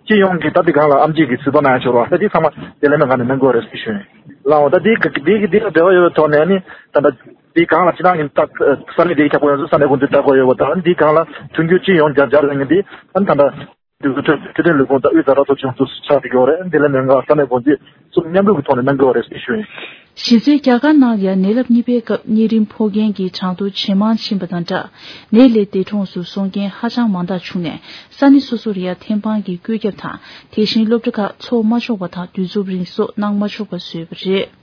སྤྱི་ཡོངས་ཀྱི་ད་འདི་སྒང་ལ་ཨེམ་ཆི་གི་གཟིགས་རྟོག་གནང་ཡ་ཆོག་ར། ད་འདི་ཚང་མ་དེ་ལས་མེད་སྒང་ནས་གནང་དགོས་རེད་ཟེར་ཞུ་ཡིན། ལའོ་ད་འདི་འདི་འདི་འདི་ལ་འབྲེལ་བ་ཡོད་པའི་ཐོག་ནས་ནི་ད་ལྟ་འདི་སྒང་ལ་སྤྱི་བཏང་གི་ད་ས་གནས་འདིའི་ཁྱབ་ཁོངས་ཡོད་ཚོ་ས་གནས་འགོ་འཛིན་ལྟ་དགོས་ཡོད་པ་དང་། འདི་སྒང་ལ་མཐུན་འགྱུར་སྤྱི་ཡོངས་རྒྱ་རྒྱ་རེད་ངེས་འདི་ཨ་ནི་ད་ལྟ་འདི་ཚོ་འཕྲོད་འཕྲོད་བསྟེན་ལས་ཁུངས་དང་དབུས་ཛ་དྲག་ཚོགས་ཆུང་དུ་ཆགས་བསྡད་ཀྱི་ཡོད་རེད། དེ་ལས་མེད་སྒང་ས་གནས་འགོ་འཛིན་གསུམ་མཉམ་རུབ་ཀྱི་ཐོག་ནས་གནང་དགོས་རེད་ཟེར་ཞུ་ཡིན། གཞི་རྩའི་རྒྱ་གར་ནང་ཡང་ནད་རླབས་གཉིས་པའི་སྐབས་གཉན་རིམས་ཕོག་མཁན་གྱི་གྲངས་ཐོ་ཇེ་མང་ཕྱིན་པ་དང་སྦྲགས། ནད་ལས་འདས་གྲོངས་སུ་སོང་མཁན་ཧ་ཅང་མང་དག་བྱུང་ནས། ས་གནས་སོ་སོར་ཡང་ཐེམ་སྤང་གི་བཀོད་ཁྱབ་དང་། དེ་བཞིན་སློབ་གྲྭ་ཁག་འཚོགས་མ་ཆོག་པ་དང་། དུས་ཚོད་རིང་སོགས་གནང་མ་ཆོག་པ་བཟོས་པ་རེད།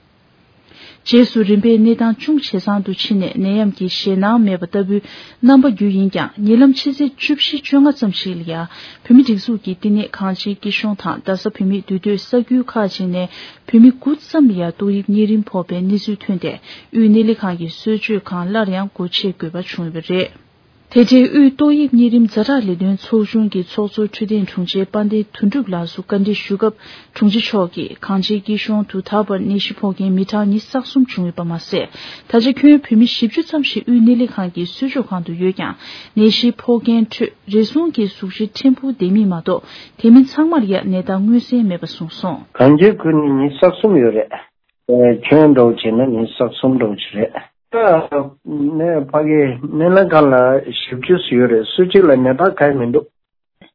རྗེས་སུ་རིམ་པས་གནས་སྟངས་ཅུང་ཇེ་བཟང་དུ་ཕྱིན་ནས། ནད་ཡམས་ཀྱི་ཞེད་སྣང་མེད་པ་ལྟ་བུའི་རྣམ་པ་བརྒྱུད་ཡིན་ཀྱང་། ཉེ་ལམ་ཕྱི་ཚེས་བཅུ་བཞི་བཅོ་ལྔ་ཙམ་ཞིག་ལ་ཡང་། བོད་མིའི་སྒྲིག་འཛུགས་ཀྱི་བསྟི་གནས་གངས་ཅན་སྐྱིད་གཤོངས་དང་། རྡ་ས་བོད་མིའི་འདུས་སྡོད་ས་ཁུལ་ཁག་ཅིག་ནས་བོད་མི་དགུ་ཙམ་ལ་ཡང་ཏོག་དབྱིབས་གཉན་རིམས་ཕོག་པའི་གནས་ཚུལ་ཐོན་ཏེ། དབུས་གནས་ལས་ཁང་གི་གསོལ་མཆོད་ཁང་སླར་ཡང་སྒོ་ཕྱེ་དགོས་པ་བྱུང་ཡོད་པ་རེད། དེ་འབྲེལ་དབུས་ཏོག་དབྱིབས་གཉན་རིམས་ཛ་དྲག་ལས་དོན་ཚོགས་ཆུང་གི་ཚོགས་གཙོ་འཕྲོད་བསྟེན་དྲུང་ཆེ་དཔལ་ལྡན་དོན་གྲུབ་ལགས་སུ་བཀའ་འདྲི་ཞུ་སྐབས། དྲུང་ཆེ་མཆོག་གིས་གངས་ཅན་སྐྱིད་གཤོངས་དུ་ད་བར་ནད་གཞི་ཕོག་མཁན་མི་གྲངས་ཉི་ཤུ་རྩ་གསུམ་བྱུང་ཡོད་པ་མ་ཟད། ད་ཆ་ཁྱོན་བོད་མི་བཞི་བཅུ་ཙམ་ཞིག་དབུས་གནས་ལས་ཁང་གི་གསོལ་མཆོད་ཁང་དུ་ཡོད་ཀྱང་། ནད་གཞི་ཕོག་མཁན་ཁྲོད་རེ་ཟུང་གིས་གཟུགས་གཞི་ཕྲན་བུ་བདེ་མིན་མ་གཏོགས། དེ་མིན་ཚང་མར་ཡང་ནད་རྟགས་མངོན་གསལ་མེད་པ་གསུངས་སོང་། གངས་ཅན་ཁུལ་ནི་ཉི་ཤུ་རྩ་གསུམ་ཡོད་རེད། ཨེ་ཁྱོན་འདྲ་བོ་བྱས་ན་ཉི་ཤུ་རྩ་གསུམ་འདྲ་བོ་ཅིག་རེད། ད་ནས་ཕ་གི་སྨན་བླ་སྒང་ལ་བཞི་བཅུ་ཙམ་ཡོད་རེད། སུ་གཅིག་ལ་ནད་རྟགས་གང་ཡང་མི་འདུག།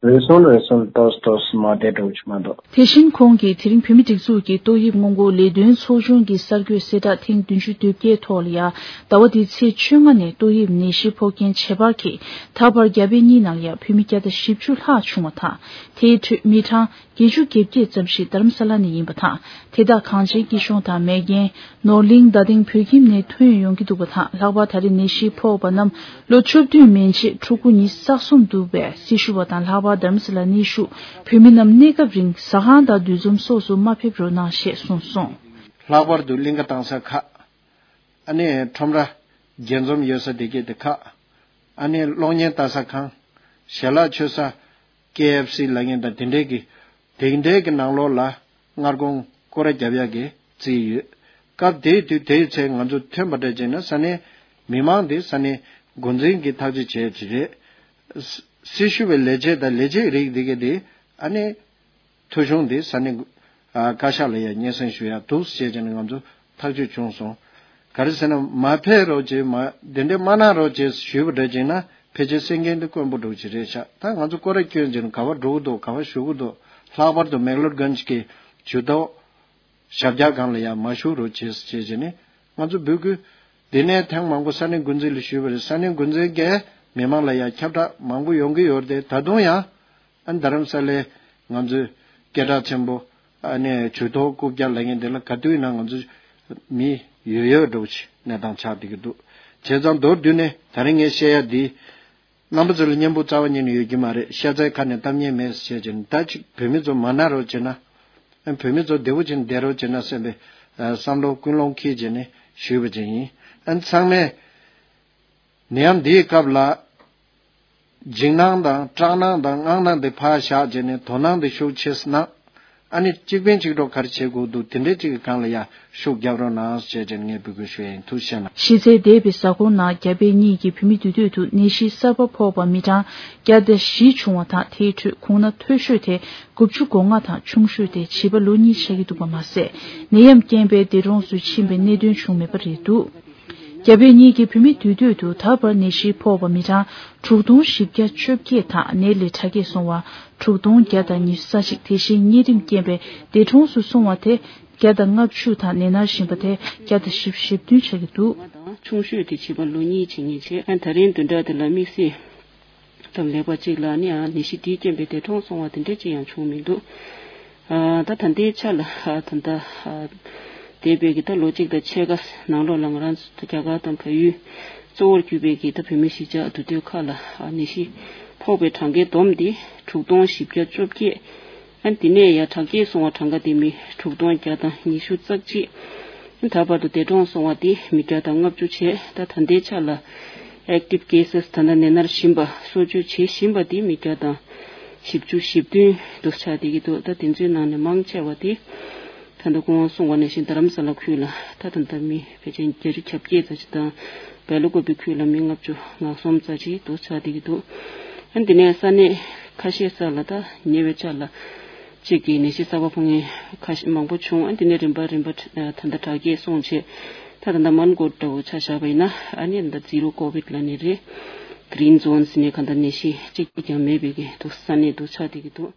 རེ་ཟུང་རེ་ཟུང་ཏོག་ཙམ་ཏོག་ཙམ་མ་བདེ་འགྲོ་གི་མ་གཏོགས། དེ་བཞིན་ཁོང་གིས་དེ་རིང་བོད་མིའི་སྒྲིག་འཛུགས་ཀྱི་ཏོག་དབྱིབས་སྔོན་འགོག་ལས་དོན་ཚོགས་ཆུང་གི་གསར་འགོད་གསལ་བསྒྲགས་ཐེངས་བདུན་ཅུ་དོན་བརྒྱད་ཐོག་ལ་ཡང་ཟླ་བ་འདིའི་ཚེས་བཅོ་ལྔ་ནས་ཏོག་དབྱིབས་ནད་གཞི་ཕོག་མཁན་ཇེ་ཕར་འཁེལ། ད་བར་རྒྱ་བལ་གཉིས་ནང་ལ་ཡང་བོད་མི་བརྒྱ་དང་བཞི་བཅུ་ལྷག་བྱུང་བ་དང་། དེའི་ཁྲོད་མི་གྲངས་བརྒྱད་ཅུ་གྱ་བརྒྱད་ཙམ་ཞིག་རྡ་རམ་ས་ལ་ནས་ཡིན་པ་དང་། དེ་དག་གངས་ཅན་སྐྱིད་གཤོངས་དང་མེག་གྷན། ནོར་གླིང་རྡ་སྟེང་བོད་ཁྱིམ་ནས་ཐོན་ཡོང་གི་འདུག་པ་དང་། ལྷག་པར་ད་རེས་ནད་གཞི་ཕོག་པ་རྣམས་ལོ་བཅུ་བདུན་མན་ཆད་ཕྲུ་གུ་ཉི་ཤུ་རྩ་གསུམ་འདུག་པས། སྲི་ཞུ་བ་དང་ལྷག་པར་རྡ་རམ་ས་ལ་གནས་བཞུགས་བོད་མི་རྣམས་གནས་སྐབས་རིང་ཟ་ཁང་དང་འདུ་འཛོམས་སོགས་སུ་མ་ཕེབས་རོགས་གནང་ཞེས་གསུངས་སོང་། ལྷག་པར་དུ་གླིང་ག་བཏང་ས་ཁག་ཨ་ནི་ཁྲོམ་ར་རྒྱས་འཛོམས་ཡོད་ས་དེ་གས་དེ་ཁག་ཨ་ནི་གློག་བརྙན་ལྟ་ས་ཁང་། ཞལ་ལག་མཆོད་ས། ཀེ་ཨེཕ་སི་ལབ་མཁན་དང་དེ་འདྲའི་གི་དེ་འདྲའི་གི་ནང་ལོགས་ལ་སྔར་གོང་སྐོར་ར་རྒྱབ་ཡག་གི་རྩིས་ཡོད། སྐབས་དེའི་དུས་དེའི་ཚེ་ང་ཚོ་ཐོན་པ་འདྲ་བྱས་ན་ས་གནས་མི་མང་དེ་ས་གནས་འགོ་འཛིན་གྱི་ཐག་གཅོད་བྱས་ཀྱི་རེད། སྲི་ཞུ་བའི་ལས་བྱེད་དང་ལས་བྱེད་རིགས་དེ་གས་དེ་ཨ་ནི་ཐོ་གཞུང་དེ་ས་གནས་བཀའ་ཤག་ལ་ཡང་སྙན་སེང་ཞུ་ཡག་འདུག་ཅེས་བྱས་ནས་ང་ཚོ་ཐག་གཅོད་བྱུང་སོང་། ག་རེ་ཟེར་ན་མ་ཕེབས་རོགས་བྱེད་མ་དེ་འདྲས་མ་གནང་རོགས་བྱེད་ཞུས་པ་འདྲ་བྱས་ན་ཕལ་ཆེར་གསན་མཁན་དེ་དཀོན་པོ་འདྲ་བོ་ཅིག་རེད་ཤག་ད་ང་ཚོ་སྐོར་ར་བསྐྱོན་བྱས་ནས་ག་པར་འགྲོ་གི་འདུག་ག་པར་བཞུགས་གི་འདུག་ལྷག་པར་དུ་མེག་ལོར་གྷན་ཇི་གི་ཇུས་གཏོགས་ཞབས་བཀྱག་སྒང་ལ་ཡང་མ་བཞུགས་རོགས་བྱེད་ཅེས་བྱས་ནས་ང་ཚོ་འབོད་སྐུལ་དེ་ནས་ཐེངས་མང་པོ་ས་གནས་འགོ་འཛིན་ལ་ཞུས་པ་རེད། ས་གནས་འགོ་འཛིན་གྱིས་མི་མང་ལ་ཡང་ཁྱབ་བསྒྲགས་མང་པོ་ཡོང་གི་ཡོད་རེད་དེ་ད་དུང་ཡང་། ཨ་ནི་རྡ་རམ་ས་ལའི་ང་ཚོའི་སྐད་གྲགས་ཆེན་པོ་ཨ་ནི་ཇུས་གཏོགས་རྐུབ་བཀྱག་ལབ་མཁན་དེ་ལ་ག་དུས་ཡིན་ན་ང་ཚོ་མི་ཡོད་ཡོད་འགྲོ་ཆེ་གནས་སྟངས་ཆགས་བསྡད་ཀྱི་འདུག་བྱས་ཙང་མདོར་བསྡུས་ནས་ད་རིང་ངས་བཤད་ཡ་འདི་རྣམ་པ་ཚོ་ལ་སྙན་པོ་རྩ་བ་ཉིད་ནས་ཡོད་ཀྱི་མ་རེད། ཤ་ཚའི་ཁ་ནས་གཏམ་ངན་མེད་ཟེར་བྱས་ནས་ད་ཅིག་བོད་མི་ཚོ་མ་ན་རོགས་བྱས་ན་ཨ་བོད་མི་ཚོ་བདེ་པོ་བྱས་ནས་བསྡད་རོགས་བྱས་ན་བསམ་པའི་བསམ་བློ་ཀུན་སློང་འཁྱེར་བྱས་ནས་ཞུས་པ་ཅིག་ཡིན། ཨ་ནི་ཚང་མས། ནད་ཡམས་འདིའི་སྐབས་ལ། འཇིགས་སྣང་དང་སྐྲག་སྣང་དང་དངངས་སྣང་དེ་ཕར་བཞག་བྱས་ནས་དོ་སྣང་དེ་ཤུགས་ཆེ་ཙམ་གནང་། ཨ་ནི་གཅིག་ཕན་གཅིག་གྲོགས་ག་རེ་བྱེད་དགོས་འདུག་དེ་འདྲའི་གཅིག་གི་སྒང་ལ་ཡ་ཤུགས་རྒྱབ་རོགས་གནང་ཞེས་བྱས་ནས་ངས་འབོད་སྐུལ་ཞུ་ཡ་ཡིན། ཐུགས་རྗེ་གནང་། གཞི་རྩའི་འདས་པའི་གཟའ་འཁོར་ནང་རྒྱ་བལ་གཉིས་ཀྱི་བོད་མི་འདུས་སྡོད་དུ་ནད་གཞི་གསར་པ་ཕོག་པ་མི་གྲངས་བརྒྱ་དང་བཞི་བྱུང་བ་དང་། དེའི་ཁྲོད་ཁོང་ན་མཐོ་ཤོས་དེ་དགུ་བཅུ་གོ་ལྔ་དང་ཆུང་ཤོས་དེ་བྱིས་པ་ལོ་གཉིས་ཆགས་ཀྱི་འདུག་པ་མ་ཟད། ནད་ཡམས་རྐྱེན་པས་འདས་གྲོངས་སུ་ཕྱིན་པའི་གནད་དོན་བྱུང་མེད་པ་རེད་འདུག་རྒྱ་བལ་གཉིས་ཀྱི་བོད་མི་འདུས་སྡོད་དུ་ད་བར་ནད་གཞི་ཕོག་པ་མི་གྲངས་དྲུག་སྟོང་བཞི་བརྒྱ་བཅོ་བརྒྱད་དང་ནད་ལས་དྲག་སྐྱེད་སོང་བ་དྲུག་སྟོང་བརྒྱ་དང་ཉི་ཤུ་རྩ་གཅིག་དེ་བཞིན་གཉན་རིམས་རྐྱེན་པས་འདས་གྲོངས་སུ་སོང་བ་དེ་བརྒྱ་དང་ལྔ་བཅུ་དང་ནད་མནར་བཞིན་པ་དེ་བརྒྱ་དང་བཞི་བཅུ་ཞེ་བདུན་ཆགས་ཀྱི་འདུག་ཆུང་ཤོས་དེ་བྱིས་པ་ལོ་གཉིས་བྱེད་མཁན་བྱས། ཨ་ད་རིང་བདུན་ཕྲག་དེ་ལ་དམིགས་བསལ་དང་ལེགས་པ་གཅིག་ལ་ནི་ཨ་ནད་གཞི་དེའི་རྐྱེན་པས་འདས་གྲོངས་སོང་བ་དེ་འདྲ་ཅིག་ཡང་བྱུང་མི་འདུག་ཨ་ད་ད་ལྟའི་ཆ་ལ་ཨ་ད་ལྟ་ཨ་འདས་པའི་གི་ད་ལོ་གཅིག་དང་ཕྱེད་ཀ་ནང་ལོགས་ལ་ང་རང་ཚོ་རྒྱ་གར་དང་བལ་ཡུལ་གཙོ་བོར་གྱུར་པའི་གི་ད་བོད་མི་གཞིས་ཆགས་འདུས་སྡོད་ཁག་ལ་ཨ་ནད་གཞི་ཕོག་པའི་གྲངས་ཀའི་བསྡོམས་དེ་དྲུག་སྟོང་བཞི་བརྒྱ་བཅོ་བརྒྱད། ཨ་དེ་ནས་ཡང་དྲག་སྐྱེད་སོང་བ་གྲངས་ཀ་དེ་མི་དྲུག་སྟོང་བརྒྱ་དང་ཉི་ཤུ་རྩ་གཅིག་ད་བར་དུ་འདས་གྲོངས་སོང་བ་དེ་མི་བརྒྱ་དང་ལྔ་བཅུ་བྱས། ད་ད་ལྟའི་ཆ་ལ་ཨེག་ཊིབ་ཀེ་སེ་སི་ད་ལྟ་ནད་མནར་བཞིན་པ་གསོ་བཅོས་བྱེད་བཞིན་པ་དེ་མི་བརྒྱ་དང་བཞི་བཅུ་ཞེ་བདུན་དུ་ཆགས་བསྡད་ཀྱི་འདུག་ད་དེ་ཚོའི་ནང་ནས་མང་ཆེ་བ་དེ་ད་ལྟ་སྐུ་ངོ་གསུངས་པ་ནང་བཞིན་རྡ་རམ་ས་ལ་ཁུལ་ལ་ད་ད་ལྟ་མི་ཕལ་ཆེར་བརྒྱད་ཅུ་གྱ་བརྒྱད་ཙམ་ཞིག་དང་། སྦེལ་ཀོབ་པའི་ཁུལ་ལ་མི་ལྔ་བཅུ་ང་གསུམ་ཙམ་ཞིག་དུ་ཆགས་བསྡད་ཀྱི་འདུག་ཨ་འདི་ནས་ས་གནས་ཁ་ཤས་ས་ལ་ད་ཉེ་བའི་ཆར་ལ་གཅིག་གི་ནད་གཞི་གསར་པ་ཕོག་མཁན་ཁ་ཤས་མང་པོ་བྱུང་། ཨ་འདི་ནས་རིམ་པ་རིམ་པ་ད་ལྟ་དྲག་སྐྱེད་སོང་བྱས། ད་ད་ལྟ་མོན་གྷོ་འདྲ་བོ་ཆ་བཞག་པ་ཡིན་ན་ཨ་ནི་ད་ཛི་རོ་ཀོ་བིད་ལབ་ནི་རེད། གི་རིན་ཛོན་ཟེར་ནས་གང་ལྟར་ནད་གཞི་གཅིག་ཀྱང་མེད་པའི་གི་འདུག་ས་གནས་དུ་ཆགས་བསྡད་ཀྱི་འདུག་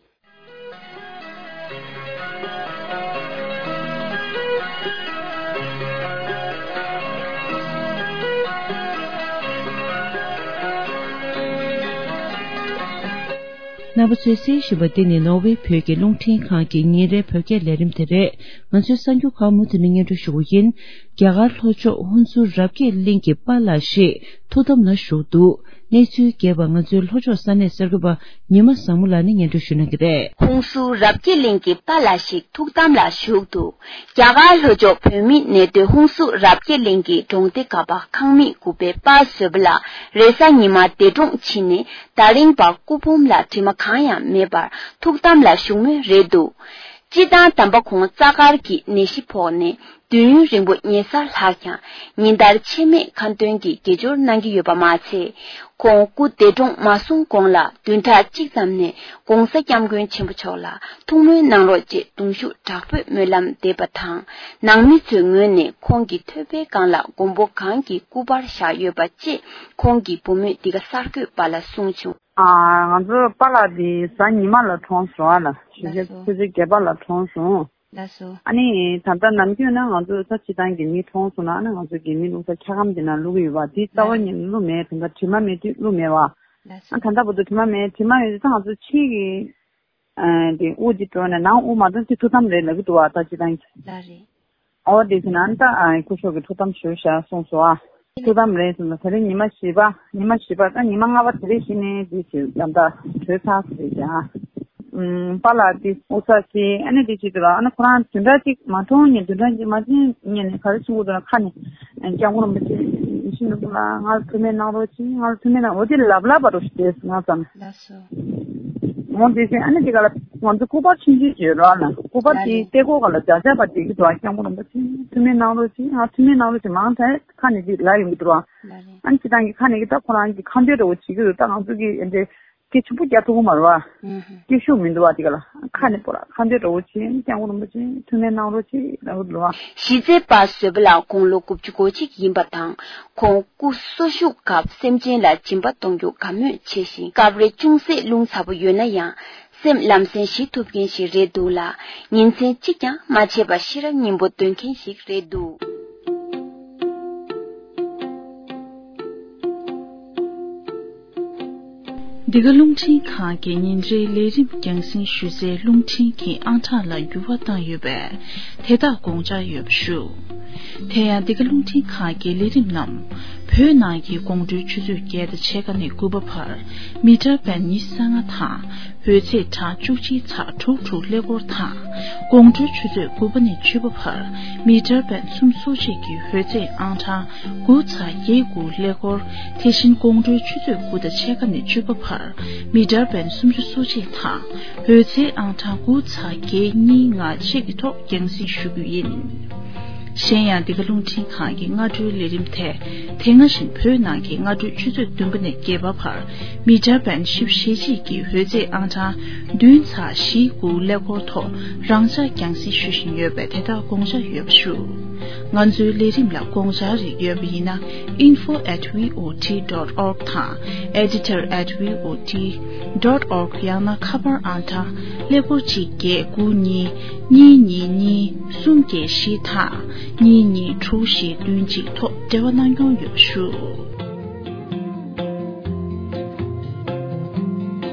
རྣམ་པ་ཚོས་གསན་བཞིན་པ་འདི་ནི་ནོར་ཝེ་བོད་ཀྱི་རླུང་འཕྲིན་ཁང་གི་ཉིན་རེའི་བོད་སྐད་ལས་རིམ་དེ་རེད། ང་ཚོའི་གསར་འགྱུར་ཁག་མུ་མཐུད་ནས་སྙན་སྒྲོན་ཞུ་གི་ཡིན། རྒྱ་གར་ལྷོ་ཕྱོགས་ཧུན་སུར་རབ་རྒྱས་གླིང་གི་པཱ་ལགས་ཤིག་ཐུགས་དམ་ལ་བཞུགས་འདུག་གནས་ཚུལ་རྒྱས་པ་ང་ཚོའི་ལྷོ་ཕྱོགས་ས་གནས་གསར་འགོད་པ་ཉི་མ་བཟང་མོ་ལགས་ནས་སྙན་སྒྲོན་ཞུ་གནང་གི་རེད། ཧུན་སུར་རབ་རྒྱས་གླིང་གི་པཱ་ལགས་ཤིག་ཐུགས་དམ་ལ་བཞུགས་འདུག་རྒྱ་གར་ལྷོ་ཕྱོགས་བོད་མིའི་གནས་སྡོད་ཧུན་སུར་རབ་རྒྱས་གླིང་གི་གྲོང་སྡེ་ག་པ་ཁང་མིག་དགུ་པའི་པཱ་བཟོད་པ་ལགས་རེས་གཟའ་ཉི་མ་འདས་གྲོངས་ཕྱིན་ནས་ད་རིང་བར་སྐུ་ཕུང་ལ་དྲི་མ་གང་ཡང་མེད་པར་ཐུགས་དམ་ལ་བཞུགས་མུས་རེད་འདུག་སྤྱིར་བཏང་དམ་པ་ཁོང་རྩ་དཀར་གྱི་ནད་གཞི་ཕོག་ནས་ དུས་ཡུན་རིང་པོ་ཉལ་སར་ལྷག་ཀྱང་ཉིན་ལྟར་ཆད་མེད་ཁ་འདོན་གྱིས་དགེ་སྦྱོར་གནང་གི་ཡོད་པ་མ་ཚད། ཁོང་སྐུ་འདས་གྲོངས་མ་སོང་གོང་ལ་བདུན་ཕྲག་གཅིག་ཙམ་ནས་༸གོང་ས་༸སྐྱབས་མགོན་ཆེན་པོ་མཆོག་ལ་ཐུགས་སྨོན་གནང་རོགས་ཅེས་གདུང་ཤུགས་དྲག་པོས་སྨོན་ལམ་འདེབས་པ་དང་། ནང་མི་ཚོའི་ངོས་ནས་ཁོང་གི་ཐོད་པའི་སྒང་ལ་མགོན་པོ་གང་གི་སྐུ་པར་བཞག་ཡོད་པ་བཅས་ཁོང་གི་བུ་མོས་འདི་ག་གསར་འགོད་པ་ལ་གསུངས་བྱུང་། ཨ། ང་ཚོ་པཱ་ལགས་དེ་གཟའ་ཉི་མ་ལ་གྲོངས་སོང་ཨ་ལ། ལགས་སོ། ཆུ་ཚོད་བརྒྱད་པ་ལ་གྲོངས་སོང་། ལགས་སོ། ཨ་ནི་ད་ལྟ་ནམ་རྒྱུན་ན་ང་ཚོ་ས་སྤྱི་བཏང་གི་མི་གྲོངས་སོང་ན་ཨ་ནི་ང་ཚོ་གི་མི་བླུགས་ས་འཁྱག་སྒམ་དེ་ནང་བླུགས་ཡོད་པ་དེ་རྩ་བ་ཉིད་ནས་བླུགས་མེད། དེ་འདྲ་དྲི་མ་མེད་དུས་བླུགས་མེད་པ། ལགས་སོ། ཨ་ད་ལྟ་བར་དུ་དྲི་མ་མེད། དྲི་མ་ཡོད་ཙང་ང་ཚོ་ཕྱི་གི་ཨ་དེ་དབུགས་དེ་འགྲོ་ནས་ནང་དབུགས་མ་གཏོང་དེ་ཐུགས་དམ་རེད་ལབ་ཀྱི་འདུག་བ། ད་སྤྱི་བཏང་གི། ལགས་རེད། ཨོ་དེ་ཟེར་ན་ཨ་ད་ཨ་སྐུ་ཞབས་ཀྱི་ཐུགས་དམ་ཞུ་བཞག་གསུངས་སོ། ཨ་ཐུགས་དམ་རེད་ཟེར་ན་ད་རིང་ཉི་མ་བཞི་པ། ཉི་མ་བཞི་པ་ད་ཉི་མ་ལྔ་པ་དེ་རིང་གཞི་ནས་དེ་ཞིག་ཡང་ད་གྲོལ་ཚར་ཟེར་ཀྱང་། ཨམ་པཱ་ལགས་དེ་དབུགས་ས་ཟིན་ཨ་ནི་དེ་བྱེད་དུས་ལ་ཨ་ནི་ཁོ་རང་བདུན་ཕྲག་གཅིག་མ་གྲོངས་ནས་བདུན་ཕྲག་གཅིག་མ་ཟིན་ཉིན་ནས་ག་རེ་གསུང་གི་འདུག་ན་ཁ་ནས་སྐྱབས་མགོན་རིན་པོ་ཆེ་ཡིད་བཞིན་ནོར་བུ་ལགས་ང་ལ་ཐུགས་སྨོན་གནང་རོགས་གྱིས། ང་ལ་ཐུགས་སྨོན་གནང་། འོ་དེ་ལབ་ལབ་པ་རོ་ཞིག་བསྡད་སོང་ང་ཙམ། ལགས་སོ། འོ་དེ་བཞིན་ཨ་ནི་དེ་ག་ལ་ང་ཚོ་སྐུ་པར་ཆུང་ཆུང་ཅིག་ཡོད་རོགས་ལ། སྐུ་པར་དེའི་ལགས་རེད། ལྟེ་སྐོར་ག་ལ་བརྒྱ་ཆ་པ་དེ་གི་འདུག་ཨ། སྐྱབས་མགོན་རིན་པོ་ཆེ་ཐུགས་སྨོན་གནང་རོགས་གྱིས། ང་ཐུགས་སྨོན་གནང་རོགས་གྱིས། མང་ཐལ་ཁ་ནས་དེ་ལབ་ཡོང་གི་འདུག་རོགས། ལགས་རེད། ཨ་ནི་སྤྱི་བཏང་གི་ཁ་ནས་གི་ད་ཁོ་རང་གི་ཁ་འདོན་འདྲ་བོ་བྱེད་ཀྱི་འདུག་ད་ང་ཚོ་གི་འདྲ་སྐད་ཆུང་པོ་རྒྱག་ཐུབ་ཀྱི་མ་རེད་བ། ཨུ་ཧུ། སྐད་ཤུགས་མི་འདུག་བ་དེ་ག་ལ། ཁ་ནས་པོ་ར་ཁ་འདོན་འདྲ་བོ་བྱེད། སྐྱབས་མགོན་རིན་པོ་ཆེ་ཐུགས་སྨོན་གནང་རོགས་གྱིས་ལབ་ཀྱི་འདུག་བ། གཞིས་རྩེ་པ་བཟོད་པ་ལགས་དགུང་ལོ་དགུ་བཅུ་གོ་གཅིག་ཡིན་པ་དང་། ཁོང་སྐུ་གསོ་བཞུགས་སྐབས་སེམས་ཅན་ལ་སྦྱིན་པ་གཏོང་རྒྱུ་དགའ་མོས་ཆེ་ཞིང་། སྐབས་རེ་ཅུང་ཟད་རླུང་ཚ་པོ་ཡོད་ན་ཡང་སེམས་ལམ་སེང་ཞི་ཐུབ་མཁན་ཞིག་རེད་འདུག་ལ། ཉིན་མཚན་གཅིག་ཀྱང་མ་ཆད་པར་ཤེས་རབ་སྙིང་པོ་འདོན་མཁན་ཞིག་རེད་འདུག། འདི་ག་རླུང་འཕྲིན་ཁང་གི་ཉིན་རེའི་ལས་རིམ་རྒྱང་སྲིང་ཞུ་སའི་རླུང་འཕྲིན་གྱི་ཨང་གྲངས་ལ་འགྱུར་བ་བཏང་ཡོད་པས། དེ་དག་དགོངས་འཇགས་ཡོད་པ་ཞུ། དེ་ཡང་འདི་ག་རླུང་འཕྲིན་ཁང་གི་ལས་རིམ་རྣམས་བོད་ནང་གི་དགོང་དྲོའི་ཆུ་ཚོད་བརྒྱད་དང་ཕྱེད་ཀ་ནས་དགུ་པ་བར་མི་ཊར་བེན་ཉི་ཤུ་རྩ་ལྔ་དང་། འོད་ཚད་གྲངས་བཅུ་གཅིག་ཚེག་དྲུག་དྲུག་ཀླད་ཀོར་དང་། དགོང་དྲོའི་ཆུ་ཚོད་དགུ་པ་ནས་བཅུ་པ་བར་མི་ཊར་བེན་སུམ་ཅུ་སོ་གཅིག་གི་འོད་ཚད་ཨང་གྲངས་དགུ་ཚེག་བརྒྱད་དགུ་ཀླད་ཀོར། དེ་བཞིན་དགོང་དྲོའི་ཆུ་ཚོད་དགུ་དང་ཕྱེད་ཀ་ནས་བཅུ་པ་བར་མི་ཊར་བེན་སུམ་ཅུ་སོ་གཅིག་དང་འོད་ཚད་ཨང་གྲངས་དགུ་ཚེག་བརྒྱད་གཉིས་ལྔ་གཅིག་གི་ཐོག་རྒྱང་སྲིང་ཞུ་རྒྱུ་ཡིན། གཞན་ཡང་འདི་ག་རླུང་འཕྲིན་ཁང་གི་སྔ་དྲོའི་ལས་རིམ་དེ་དེ་སྔ་བཞིན་བོད་ནང་གི་སྔ་དྲོའི་ཆུ་ཚོད་བདུན་པ་ནས་བརྒྱད་པ་བར་མི་ཊར་བེན་བཞི་བཅུ་ཞེ་གཅིག་གི་འོད་ཚད་ཨང་གྲངས་བདུན་ཚེག་བཞི་དགུ་ཀླད་ཀོར་ཐོག་རང་འཇགས་རྒྱང་སྲིང་ཞུ་བཞིན་ཡོད་པས་དེ་དག་དགོངས་འཇགས་ཡོད་པ་ཞུ། ང་ཚོའི་ལས་རིམ་ལ་དགོངས་འཆར་རིགས་ཡོད་པ་ཡིན་ན། info at V O T dot org དང་editor at V O T dot org ཡང་ན་ཁ་པར་ཨང་གྲངས་ཀླད་ཀོར་གཅིག་བརྒྱད་དགུ་གཉིས་གཉིས་གཉིས་གཉིས་གསུམ་བརྒྱད་བཞི་དང་གཉིས་གཉིས་དྲུག་བཞི་བདུན་གཅིག་ཐོག་འབྲེལ་བ་གནང་སྐྱོང་ཡོད་པ་ཞུ།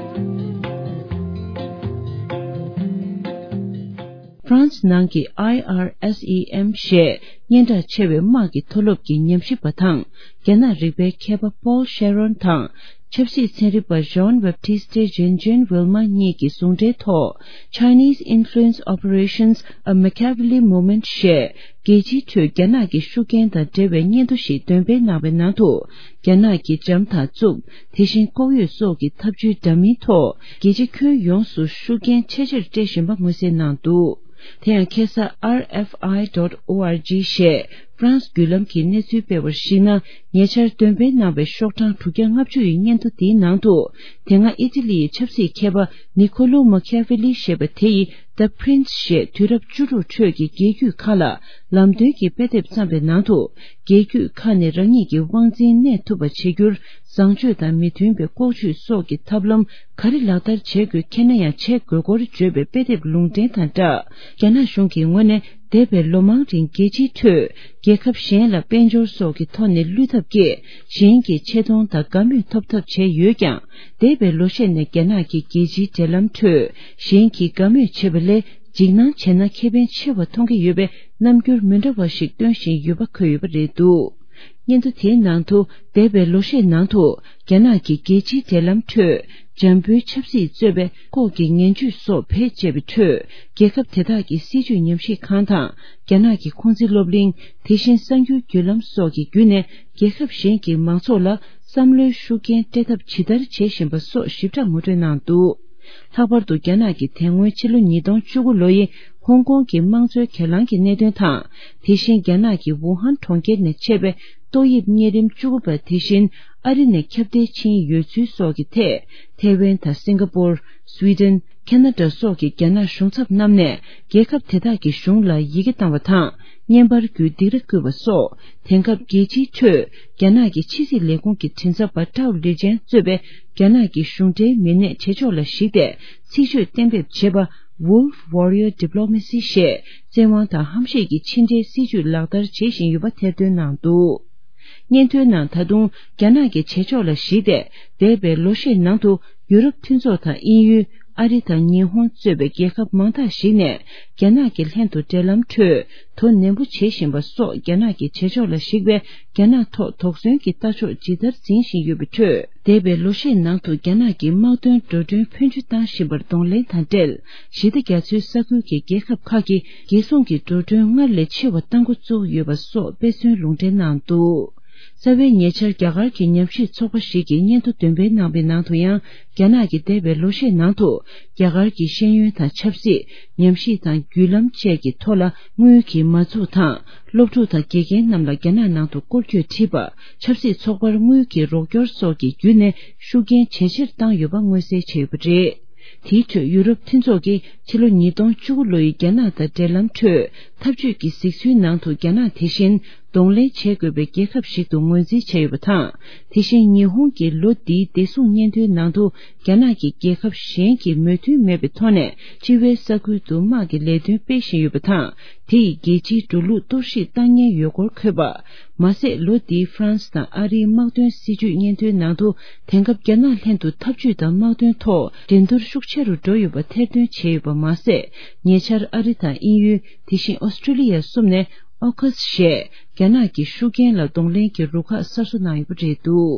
ཧྥ་རན་སི་ནང་གི་ཨའི་ཨར་ཨེས་ཨི་ཨེམ་ཞེས་སྙན་གྲགས་ཆེ་བའི་དམག་གི་མཐོ་སློབ་ཀྱི་ཉམས་ཞིབ་པ་དང་། རྒྱ་ནག་རིག་པའི་མཁས་པ་Paul Sharon དང་། ཆབ་སྲིད་ཚན་རིག་པ་Jean-Baptiste Jen Jen Vilma གཉིས་ཀྱི་ཟུང་འབྲེལ་ཐོག Chinese Influence Operations, A Machiavelli Moment ཞེས་རྒྱལ་སྤྱིའི་ཁྲོད་རྒྱ་ནག་གི་ཤུགས་རྐྱེན་དང་འབྲེལ་བའི་སྙན་ཐོ་ཞིག་འདོན་སྤེལ་གནང་བའི་ནང་དུ། རྒྱ་ནག་གི་འཇམ་དང་རྩུབ། དེ་བཞིན་ལྐོག་གཡོ་སོགས་ཀྱི་ཐབས་བྱུས་འདྲ་མིན་ཐོག་རྒྱལ་སྤྱི་ཁྱོན་ཡོངས་སུ་ཤུགས་རྐྱེན་ཆེ་ཆེར་སྤྲད་བཞིན་པ་མངོན་གསལ་གནང་འདུག་དེ་ཡང་ཁ་སང་R F I dot O R G ཞེས་ཧྥ་རན་སི་བརྒྱུད་ལམ་གྱི་གནས་ཚུལ་སྤེལ་བར་གཞིགས་ན། ཉེ་ཆར་འདོན་སྤེལ་གནང་བའི་ཤོག་གྲངས་དྲུག་བརྒྱ་ལྔ་བཅུ་ཡི་སྙན་ཐོ་འདིའི་ནང་དུ། དེ་སྔ་ཨི་ཏི་ལི་ཡི་ཆབ་སྲིད་མཁས་པ་Niccolò Machiavelli ཞེས་པ་དེ་ཡིས་The Prince ཞེས་དུས་རབས་བཅུ་དྲུག་ཁྲོད་ཀྱི་རྒྱལ་རྒྱུད་ཁག་ལ་ལམ་སྟོན་གྱི་དཔེ་དེབ་བརྩམས་པའི་ནང་དུ། རྒྱལ་རྒྱུད་ཁག་ནས་རང་ཉིད་ཀྱི་དབང་འཛིན་གནས་ཐུབ་པ་བྱེད་རྒྱུར། བཟང་སྤྱོད་དང་མི་མཐུན་པའི་ལྐོག་ཇུས་སོགས་ཀྱི་ཐབས་ལམ་ག་རེ་ལག་བསྟར་བྱེད་དགོས་མཁྱེན་ན་ཡང་བྱེད་དགོས་སྐོར་བརྗོད་པའི་དཔེ་དེབ་ལུང་འདྲེན་དང་སྦྲགས། རྒྱ་ནག་གཞུང་གི་ངོས་ནས་འདས་པའི་ལོ་མང་རིང་རྒྱལ་སྤྱིའི་ཁྲོད་རྒྱལ་ཁབ་གཞན་ལ་དཔལ་འབྱོར་སོགས་ཀྱི་ཐོག་ནས་བློས་ཐབས་བསྐྱེད། གཞན་གྱི་ཆེ་མཐོང་དང་དགའ་མོས་ཐོབ་ཐབས་བྱས་ཡོད་ཀྱང་། འདས་པའི་ལོ་ཤས་ནས་རྒྱ་ནག་གི་རྒྱལ་སྤྱིའི་འབྲེལ་ལམ་ཁྲོད་གཞན་གྱིས་དགའ་མོས་བྱེད་པ་ལས། འཇིགས་སྣང་བྱས་ན་ཁེ་ཕན་ཆེ་བ་མཐོང་གི་ཡོད་པའི་རྣམ་འགྱུར་མི་འདྲ་བ་ཞིག་སྟོན་བཞིན་ཡོད་པ་འཁོད་ཡོད་པ་རེད་འདུག་སྙན་ཐོ་དེའི་ནང་དུ། འདས་པའི་ལོ་ཤས་ནང་དུ། རྒྱ་ནག་གི་རྒྱལ་སྤྱིའི་འབྲེལ་ལམ་ཁྲོད། འཇམ་པོའི་ཆབ་སྲིད་གཙོས་པའི་ལྐོག་གི་ངན་ཇུས་སོགས་བེད་སྤྱད་པའི་ཁྲོད། རྒྱལ་ཁབ་དེ་དག་གི་སྲིད་བྱུས་ཉམས་ཞིབ་ཁང་དང་། རྒྱ་ནག་གི་ཁུང་ཙི་སློབ་གླིང་། དེ་བཞིན་གསར་འགྱུར་བརྒྱུད་ལམ་སོགས་ཀྱི་བརྒྱུད་ནས། རྒྱལ་ཁབ་གཞན་གྱི་མང་ཚོགས་ལ། བསམ་བློའི་ཤུགས་རྐྱེན་སྤྲད་ཐབས་ཇི་ལྟར་བྱེད་བཞིན་པ་སོགས་ཞིབ་ཕྲ་ངོ་སྤྲོད་གནང་འདུག་ལྷག་པར་དུ་རྒྱ་ནག་གིས་དེ་སྔོན་ཕྱི་ལོ་ཉིས་སྟོང་བཅུ་དགུ་ལོ་ཡི། ཧོང་ཀོང་གི་དམངས་གཙོའི་གྱེན་ལངས་ཀྱི་གནད་དོན་དང་། དེ་བཞིན་རྒྱ་ནག་གི་ཝུ་ཧན་གྲོང་ཁྱེར་ནས་མཆེད་པའི་ཏོག་དབྱིབས་གཉན་རིམས་བཅུ་དགུ་པ་དེ་བཞིན་ཨ་རི་ནས་ཁྱབ་གདལ་ཕྱིན་ཡོད་ཚུལ་སོགས་ཀྱི་ཐད། ཐའེ་ཝན་དང་སིང་ག་པོར། སུའི་ཏན། ཁེ་ན་ཌ་སོགས་ཀྱི་རྒྱ་ནག་གཞུང་ཚབ་རྣམས་ནས་རྒྱལ་ཁབ་དེ་དག་གི་གཞུང་ལ་ཡི་གེ་བཏང་བ་དང་། བརྙན་པར་བརྒྱུད་སྡིགས་ར་བསྐུལ་བ་སོགས། དེང་སྐབས་རྒྱལ་སྤྱིའི་ཁྲོད་རྒྱ་ནག་གི་ཕྱི་སྲིད་ལས་ཁུངས་ཀྱི་མགྲིན་ཚབ་པ་ཀྲའོ་ལི་ཅན་གཙོས་པའི་རྒྱ་ནག་གི་གཞུང་འབྲེལ་མི་སྣས་བྱེད་ཕྱོགས་ལ་གཞིགས་ཏེ་ཚིག་བརྗོད་གཏན་འབེབས་བྱས་པ། Wolf Warrior Diplomacy ཞེས་བཙན་དབང་དང་ཧམ་བཤད་ཀྱི་ཕྱི་འབྲེལ་སྲིད་ཇུས་ལག་བསྟར་བྱེད་བཞིན་ཡོད་པ་ཐེར་འདོན་གནང་འདུག་སྙན་ཐོའི་ནང་ད་དུང་རྒྱ་ནག་གི་བྱེད་ཕྱོགས་ལ་གཞིགས་ཏེ། འདས་པའི་ལོ་ཤས་ནང་དུ་ཡུ་རོབ་མཐུན་ཚོགས་དང་དབྱིན་ཡུལ། ཨ་རི་དང་ཉི་ཧོང་གཙོས་པའི་རྒྱལ་ཁབ་མང་དག་ཞིག་ནས་རྒྱ་ནག་གི་ལྷན་དུ་འབྲེལ་ལམ་ཁྲོད་དོ་ནན་པོ་བྱེད་བཞིན་པ་སོགས། རྒྱ་ནག་གི་བྱེད་ཕྱོགས་ལ་གཞིགས་པའི་རྒྱ་ནག་ཐོག་དོགས་ཟོན་གྱི་ལྟ་ཕྱོགས་ཇི་ལྟར་འཛིན་བཞིན་ཡོད་པའི་ཁྲོད། འདས་པའི་ལོ་ཤས་ནང་དུ་རྒྱ་ནག་གིས་དམག་དོན་འགྲོ་གྲོན་ཕོན་ཆུ་བཏང་བཞིན་པར་གདོང་ལེན་དང་འབྲེལ། ཞི་བདེ་རྒྱ་མཚོའི་ས་ཁུལ་གྱི་རྒྱལ་ཁབ་ཁག་གིས་རྒྱལ་སྲུང་གི་འགྲོ་གྲོན་སྔར་ལས་ཆེ་བ་གཏང་འགོ་བཙུགས་ཡོད་པ་སོགས་དཔེ་མཚོན་ལུང་འདྲེན་གནང་འདུག་རྩ་བའི་ཉེ་ཆར་རྒྱ་གར་གྱི་ཉམས་ཞིབ་ཚོགས་པ་ཞིག་གིས་སྙན་ཐོ་འདོན་སྤེལ་གནང་བའི་ནང་དུ་ཡང་། རྒྱ་ནག་གིས་འདས་པའི་ལོ་ཤས་ནང་དུ་རྒྱ་གར་གྱི་ཤེས་ཡོན་དང་ཆབ་སྲིད། ཉམས་ཞིབ་དང་བརྒྱུད་ལམ་བཅས་ཀྱི་ཐོག་ལ་དངུལ་གྱི་མ་འཛུགས་དང་། སློབ་ཕྲུག་དང་དགེ་རྒན་རྣམས་ལ་རྒྱ་ནག་ནང་དུ་སྐོར་སྐྱོད་ཁྲིད་པ། ཆབ་སྲིད་ཚོགས་པར་དངུལ་གྱི་རོགས་སྐྱོར་སོགས་ཀྱི་བརྒྱུད་ནས་ཤུགས་རྐྱེན་ཇེ་ཆེར་བཏང་ཡོད་པ་མངོན་གསལ་བྱས་ཡོད་པ་རེད། དེའི་ཁྲོད་ཡུ་རོབ་མཐུན་ཚོགས་ཀྱིས་ཕྱི་ལོ་ཉིས་སྟོང་བཅུ་དགུ་ལོ་ཡི་རྒྱ་ནག་དང་འབྲེལ་ལམ་ཁྲོད་འཐབ་ཇུས་ཀྱི་གཟིགས་ཚུལ་ནང་དུ་རྒྱ་ནག་དེ་བཞིན་གདོང་ལེན་བྱེད་དགོས་པའི་རྒྱལ་ཁབ་ཞིག་ཏུ་ངོས་འཛིན་བྱས་ཡོད་པ་དང་། དེ་བཞིན་ཉི་ཧོང་གིས་ལོ་འདིའི་བདེ་སྲུང་སྙན་ཐོའི་ནང་དུ་རྒྱ་ནག་གིས་རྒྱལ་ཁབ་གཞན་གྱི་མོས་མཐུན་མེད་པའི་ཐོག་ནས་སྤྱི་བའི་ས་ཁུལ་དུ་དམག་གི་ལས་དོན་སྤེལ་བཞིན་ཡོད་པ་དང་། དེ་ཡིས་རྒྱལ་སྤྱིའི་འགྲོ་ལུགས་གཏོར་བཤིག་བཏང་ཉེན་ཡོད་སྐོར་འཁོད་པ། མ་ཟད། ལོ་འདིའི་ཧྥ་རན་སི་དང་ཨ་རིའི་དམག་དོན་སྲིད་ཇུས་སྙན་ཐོའི་ནང་དུ། དེང་སྐབས་རྒྱ་ནག་ལྷན་དུ་འཐབ་ཇུས་དང་དམག་དོན་ཐོག་འགྲན་བསྡུར་ཤུགས་ཆེ་རུ་འགྲོ་ཡོད་པ་ཐེར་འདོན་བྱས་ཡོད་པ་མ་ཟད། ཉེ་ཆར་ཨ་རི་དང་དབྱིན་ཡུལ། དེ་བཞིན་ཨོ་སི་ཀྲི་ལི་ཡ་གསུམ་ནས་ཨོ་ཁ་སི་ཞེས་རྒྱ་ནག་གི་ཤུགས་རྐྱེན་ལ་གདོང་ལེན་གྱི་རུ་ཁག་གསར་བཟོ་གནང་ཡོད་པ་རེད་འདུག་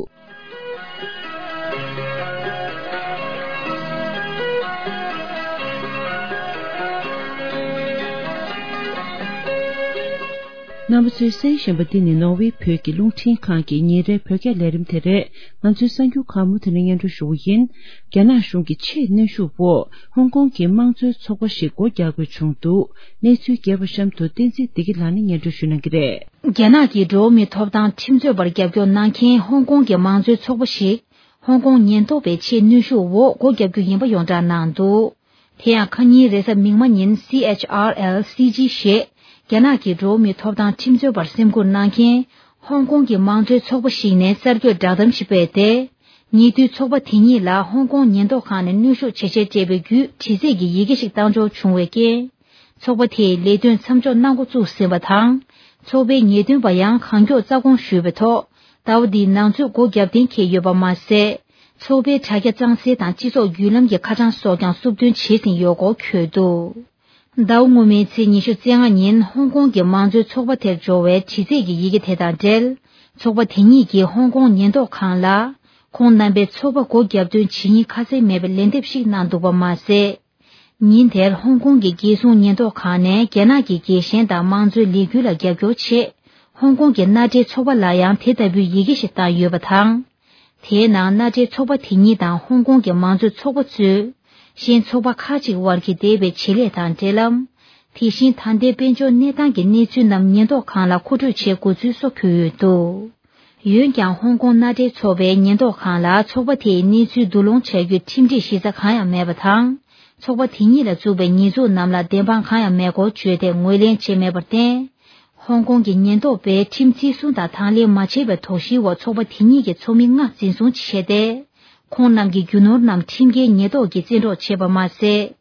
རྣམ་པ་ཚོས་གསན་བཞིན་པ་འདི་ནི་ནོར་ཝེ་བོད་ཀྱི་རླུང་འཕྲིན་ཁང་གི་ཉིན་རེའི་བོད་སྐད་ལས་རིམ་དེ་རེད། ང་ཚོའི་གསར་འགྱུར་ཁག་མུ་མཐུད་ནས་སྙན་སྒྲོན་ཞུ་གི་ཡིན། རྒྱ་ནག་གཞུང་གི་ཆེས་གནོན་ཤུགས་འོག་ཧོང་ཀོང་གི་དམངས་གཙོའི་ཚོགས་པ་ཞིག་སྒོ་རྒྱག་དགོས་བྱུང་འདུག་གནས་ཚུལ་རྒྱས་པ་གཤམ་དུ་བསྟན་འཛིན་བདེ་སྐྱིད་ལགས་ནས་སྙན་སྒྲོན་ཞུ་གནང་གི་རེད། རྒྱ་ནག་གི་འགྲོ་བ་མིའི་ཐོབ་ཐང་ཁྲིམས་རྩོད་པར་རྒྱབ་སྐྱོར་གནང་མཁན་ཧོང་ཀོང་གི་དམངས་གཙོའི་ཚོགས་པ་ཞིག་ཧོང་ཀོང་ཉེན་རྟོག་པའི་ཆེས་གནོན་ཤུགས་འོག་སྒོ་རྒྱག་རྒྱུ་ཡིན་པ་ཡོངས་གྲགས་གནང་འདུག་དེ་ཡང་ཁ་ཉིན་རེས་གཟའ་མིག་དམར་ཉིན་སི་ཨེཆ་ཨར་ཨེལ་སི་ཇི་ཞེས་རྒྱ་ནག་གི་འགྲོ་བ་མིའི་ཐོབ་ཐང་ཁྲིམས་རྩོད་པར་སེམས་ཁུར་གནང་མཁན་ཧོང་ཀོང་གི་དམངས་གཙོའི་ཚོགས་པ་ཞིག་ནས་གསར་འགོད་བསྒྲགས་གཏམ་ཞིག་སྤེལ་ཏེ། ཉེ་དུས་ཚོགས་པ་དེ་ཉིད་ལ་ཧོང་ཀོང་ཉེན་རྟོག་ཁང་ནས་གནོན་ཤུགས་ཇེ་ཆེར་སྤྲད་པའི་བརྒྱུད་དྲི་རྩད་ཀྱི་ཡི་གེ་ཞིག་བཏང་འབྱོར་བྱུང་བའི་རྐྱེན། ཚོགས་པ་དེས་ལས་དོན་མཚམས་འཇོག་གནང་འགོ་བཙུགས་ཟིན་པ་དང་། ཚོགས་པའི་ཉེས་དོན་པ་ཡང་གང་མགྱོགས་རྩ་དགོངས་ཞུས་པའི་ཐོག་ཟླ་བ་འདིའི་ནང་ཚུད་སྒོ་བརྒྱབ་གཏན་འཁེལ་ཡོད་པ་མ་ཟད། ཚོགས་པའི་དྲ་རྒྱ་གཙང་སེལ་དང་སྤྱི་ཚོགས་བརྒྱུད་ལམ་གྱི་ཁ་བྱང་སོགས་ཀྱང་སུབ་བཏོན་བྱས་ཟིན་ཡོད་སྐོར་འཁོད་འདུག་ཟླ་བ་སྔོན་མའི་ཚེས་ཉི་ཤུ་རྩ་ལྔ་ཉིན་ཧོང་ཀོང་གི་དམངས་གཙོའི་ཚོགས་པ་དེར་འབྱོར་བའི་དྲི་རྩད་ཀྱི་ཡི་གེ་དེ་དང་འབྲེལ། ཚོགས་པ་དེ་ཉིད་ཀྱིས་ཧོང་ཀོང་ཉེན་རྟོག་ཁང་ལ། ཁོང་རྣམ་པའི་ཚོགས་པ་སྒོ་བརྒྱབ་དོན་ཇི་སྙེད་ཁ་གསལ་མེད་པའི་ལན་འདེབས་ཤིག་གནང་འདུག་པ་མ་ཟད། ཉིན་དེར་ཧོང་ཀོང་གི་རྒྱལ་སྲུང་ཉེན་རྟོག་ཁང་ནས་རྒྱ་ནག་གི་རྒྱལ་ཞེན་དང་དམངས་གཙོའི་ལས་འགུལ་ལ་རྒྱབ་སྐྱོར་ཆེད། ཧོང་ཀོང་གི་མནའ་འབྲེལ་ཚོགས་པ་ལ་ཡང་དེ་ལྟ་བུའི་ཡི་གེ་ཞིག་བཏང་ཡོད་པ་དང་། དེའི་ནང་མནའ་འབྲེལ་ཚོགས་པ་དེ་གཉིས་དང་ཧོང་ཀོང་གི་མང་གཙོའི་ཚོགས་པ་གཙོས། གཞན་ཚོགས་པ་ཁག་ཅིག་དབར་གྱི་འདས་པའི་བྱེད་ལས་དང་འབྲེལ་ལམ། དེ་བཞིན་ད་ལྟའི་དཔལ་འབྱོར་གནས་སྟངས་ཀྱི་གནས་ཚུལ་རྣམས་ཉེན་རྟོག་ཁང་ལ་མཁོ་སྤྲོད་བྱེད་དགོས་ཚུལ་སོགས་འཁོད་ཡོད་འདུག་འོན་ཀྱང་ཧོང་ཀོང་མནའ་འབྲེལ་ཚོགས་པའི་ཉེན་རྟོག་ཁང་ལ་ཚོགས་པ་དེའི་གནས་ཚུལ་བསྡུ་སློང་བྱ་རྒྱུའི་ཁྲིམས་སྒྲིག་གཞི་རྩ་གང་ཡང་མེད་པ་དང་། ཚོགས་པ་དེ་གཉིས་ལ་བཙུགས་པའི་ཉེས་འཛུགས་རྣམས་ལ་བདེན་དཔང་གང་ཡང་མེད་སྐོར་བརྗོད་དེ་ངོས་ལེན་བྱས་མེད་པར་བརྟེན། ཧོང་ཀོང་གི་ཉེན་རྟོག་པས་ཁྲིམས་བརྩི་སྲུང་དང་དང་ལེན་མ་བྱས་པའི་དོགས་གཞིའི་འོག་ཚོགས་པ་དེ་གཉིས་ཀྱི་ཚོགས་མི་ལྔ་འཛིན་བཟུང་བྱས་ཏེ། ཁོང་རྣམས་ཀྱི་རྒྱུ་ནོར་རྣམས་ཁྲིམས་འགལ་ཉེན་རྟོག་གིས་བཙན་འཕྲོག་བྱས་པ་མ་ཟད།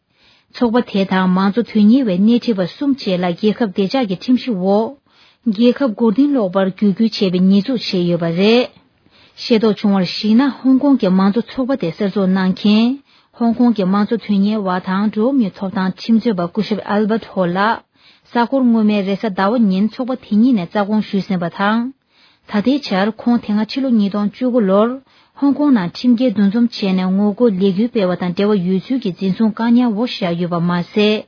ཚོགས་པ་དེ་དང་མང་གཙོ་དོན་གཉེར་བའི་སྣེ་ཁྲིད་པ་གསུམ་བཅས་ལ་རྒྱལ་ཁབ་བདེ་འཇགས་ཀྱི་ཁྲིམས་གཞི་འོག་རྒྱལ་ཁབ་མགོ་རྟིང་སློག་པར་བརྒྱུད་སྐུལ་བྱས་པའི་ཉེས་འཛུགས་བྱས་ཡོད་པ་རེད། ཤེས་རྟོགས་བྱུང་བར་གཞིགས་ན། ཧོང་ཀོང་གི་མང་གཙོ་ཚོགས་པ་དེ་གསར་འཛུགས་གནང་མཁན། ཧོང་ཀོང་གི་དམངས་གཙོ་དོན་གཉེར་བ་དང་འགྲོ་བ་མིའི་ཐོབ་ཐང་ཁྲིམས་རྩོད་པ་སྐུ་ཞབས་ཨལ་བྷར་ཧོ་ལགས། གཟའ་འཁོར་སྔོན་མའི་རེས་གཟའ་ཟླ་བ་ཉིན་ཚོགས་པ་དེ་གཉིས་ནས་རྩ་དགོངས་ཞུས་ཟིན་པ་དང་། ད་ལྟའི་ཆར་ཁོང་དེ་སྔ་ཕྱི་ལོ་ཉིས་སྟོང་བཅུ་དགུ་ལོར་ཧོང་ཀོང་ནང་ཁྲིམས་འགལ་འདུ་འཛོམས་བྱས་ནས་ངོ་རྒོལ་ལས་འགུལ་སྤེལ་བ་དང་འབྲེལ་བ་ཡོད་ཚུལ་གྱི་འཛིན་བཟུང་བཀག་ཉར་འོག་བཞག་ཡོད་པ་མ་ཟད།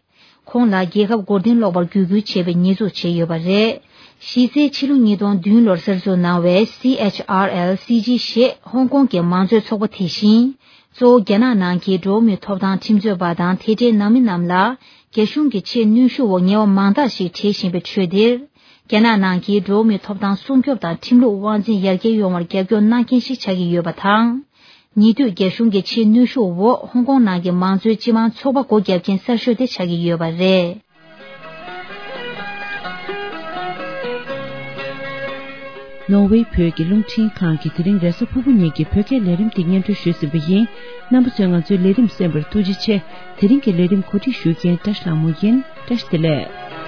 ཁོང་ལ་རྒྱལ་ཁབ་མགོ་རྟིང་སློག་པར་བརྒྱུད་སྐུལ་བྱས་པའི་ཉེས་འཛུགས་བྱས་ཡོད་པ་རེད། གཞི་རྩའི་ཕྱི་ལོ་ཉིས་སྟོང་བདུན་ལོར་གསར་འཛུགས་གནང་བའི་སི་ཨེཆ་ཨར་ཨེལ་སི་ཇི་ཞེས་ཧོང་ཀོང་གི་མང་གཙོའི་ཚོགས་པ་དེ་བཞིན། གཙོ་བོ་རྒྱ་ནག་ནང་གི་འགྲོ་བ་མིའི་ཐོབ་ཐང་ཁྲིམས་རྩོད་པ་དང་དེ་འབྲེལ་ནང་མི་རྣམས་ལ་རྒྱ་གཞུང་གིས་ཆེས་གནོན་ཤུགས་འོག་ཉེས་པ་མང་དག་ཞིག་བྲིས་བཞིན་པའི་ཁྲོད་འདིར། རྒྱ་ནག་ནང་གི་འགྲོ་བ་མིའི་ཐོབ་ཐང་སྲུང་སྐྱོབ་དང་ཁྲིམས་ལུགས་དབང་འཛིན་ཡར་རྒྱས་ཡོང་བར་རྒྱབ་སྐྱོར་གནང་མཁན་ཞིག་ཆགས་ཀྱི་ཡོད་པ་དང་། ཉེ་དུས་རྒྱ་གཞུང་གི་ཆེས་གནོན་ཤུགས་འོག་ཧོང་ཀོང་ནང་གི་མང་གཙོའི་སྤྱི་དམངས་ཚོགས་པ་སྒོ་བརྒྱབ་མཁན་གསར་ཤོས་དེ་ཆགས་ཀྱི་ཡོད་པ་རེད། ནོར་ཝེ་བོད་ཀྱི་རླུང་འཕྲིན་ཁང་གིས་དེ་རིང་རེས་གཟའ་ཕུར་བུ་ཉིན་གྱི་བོད་སྐད་ལས་རིམ་དེ་སྙན་སྒྲོན་ཞུས་ཟིན་པ་ཡིན། རྣམ་པ་ཚོས་ང་ཚོའི་ལས་རིམ་གསན་པར་ཐུགས་རྗེ་ཆེ། དེ་རིང་གི་ལས་རིམ་གོ་སྒྲིག་ཞུ་མཁན་བཀྲ་ཤིས་ལྷ་མོ་ཡིན། བཀྲ་ཤིས་བདེ་ལེགས།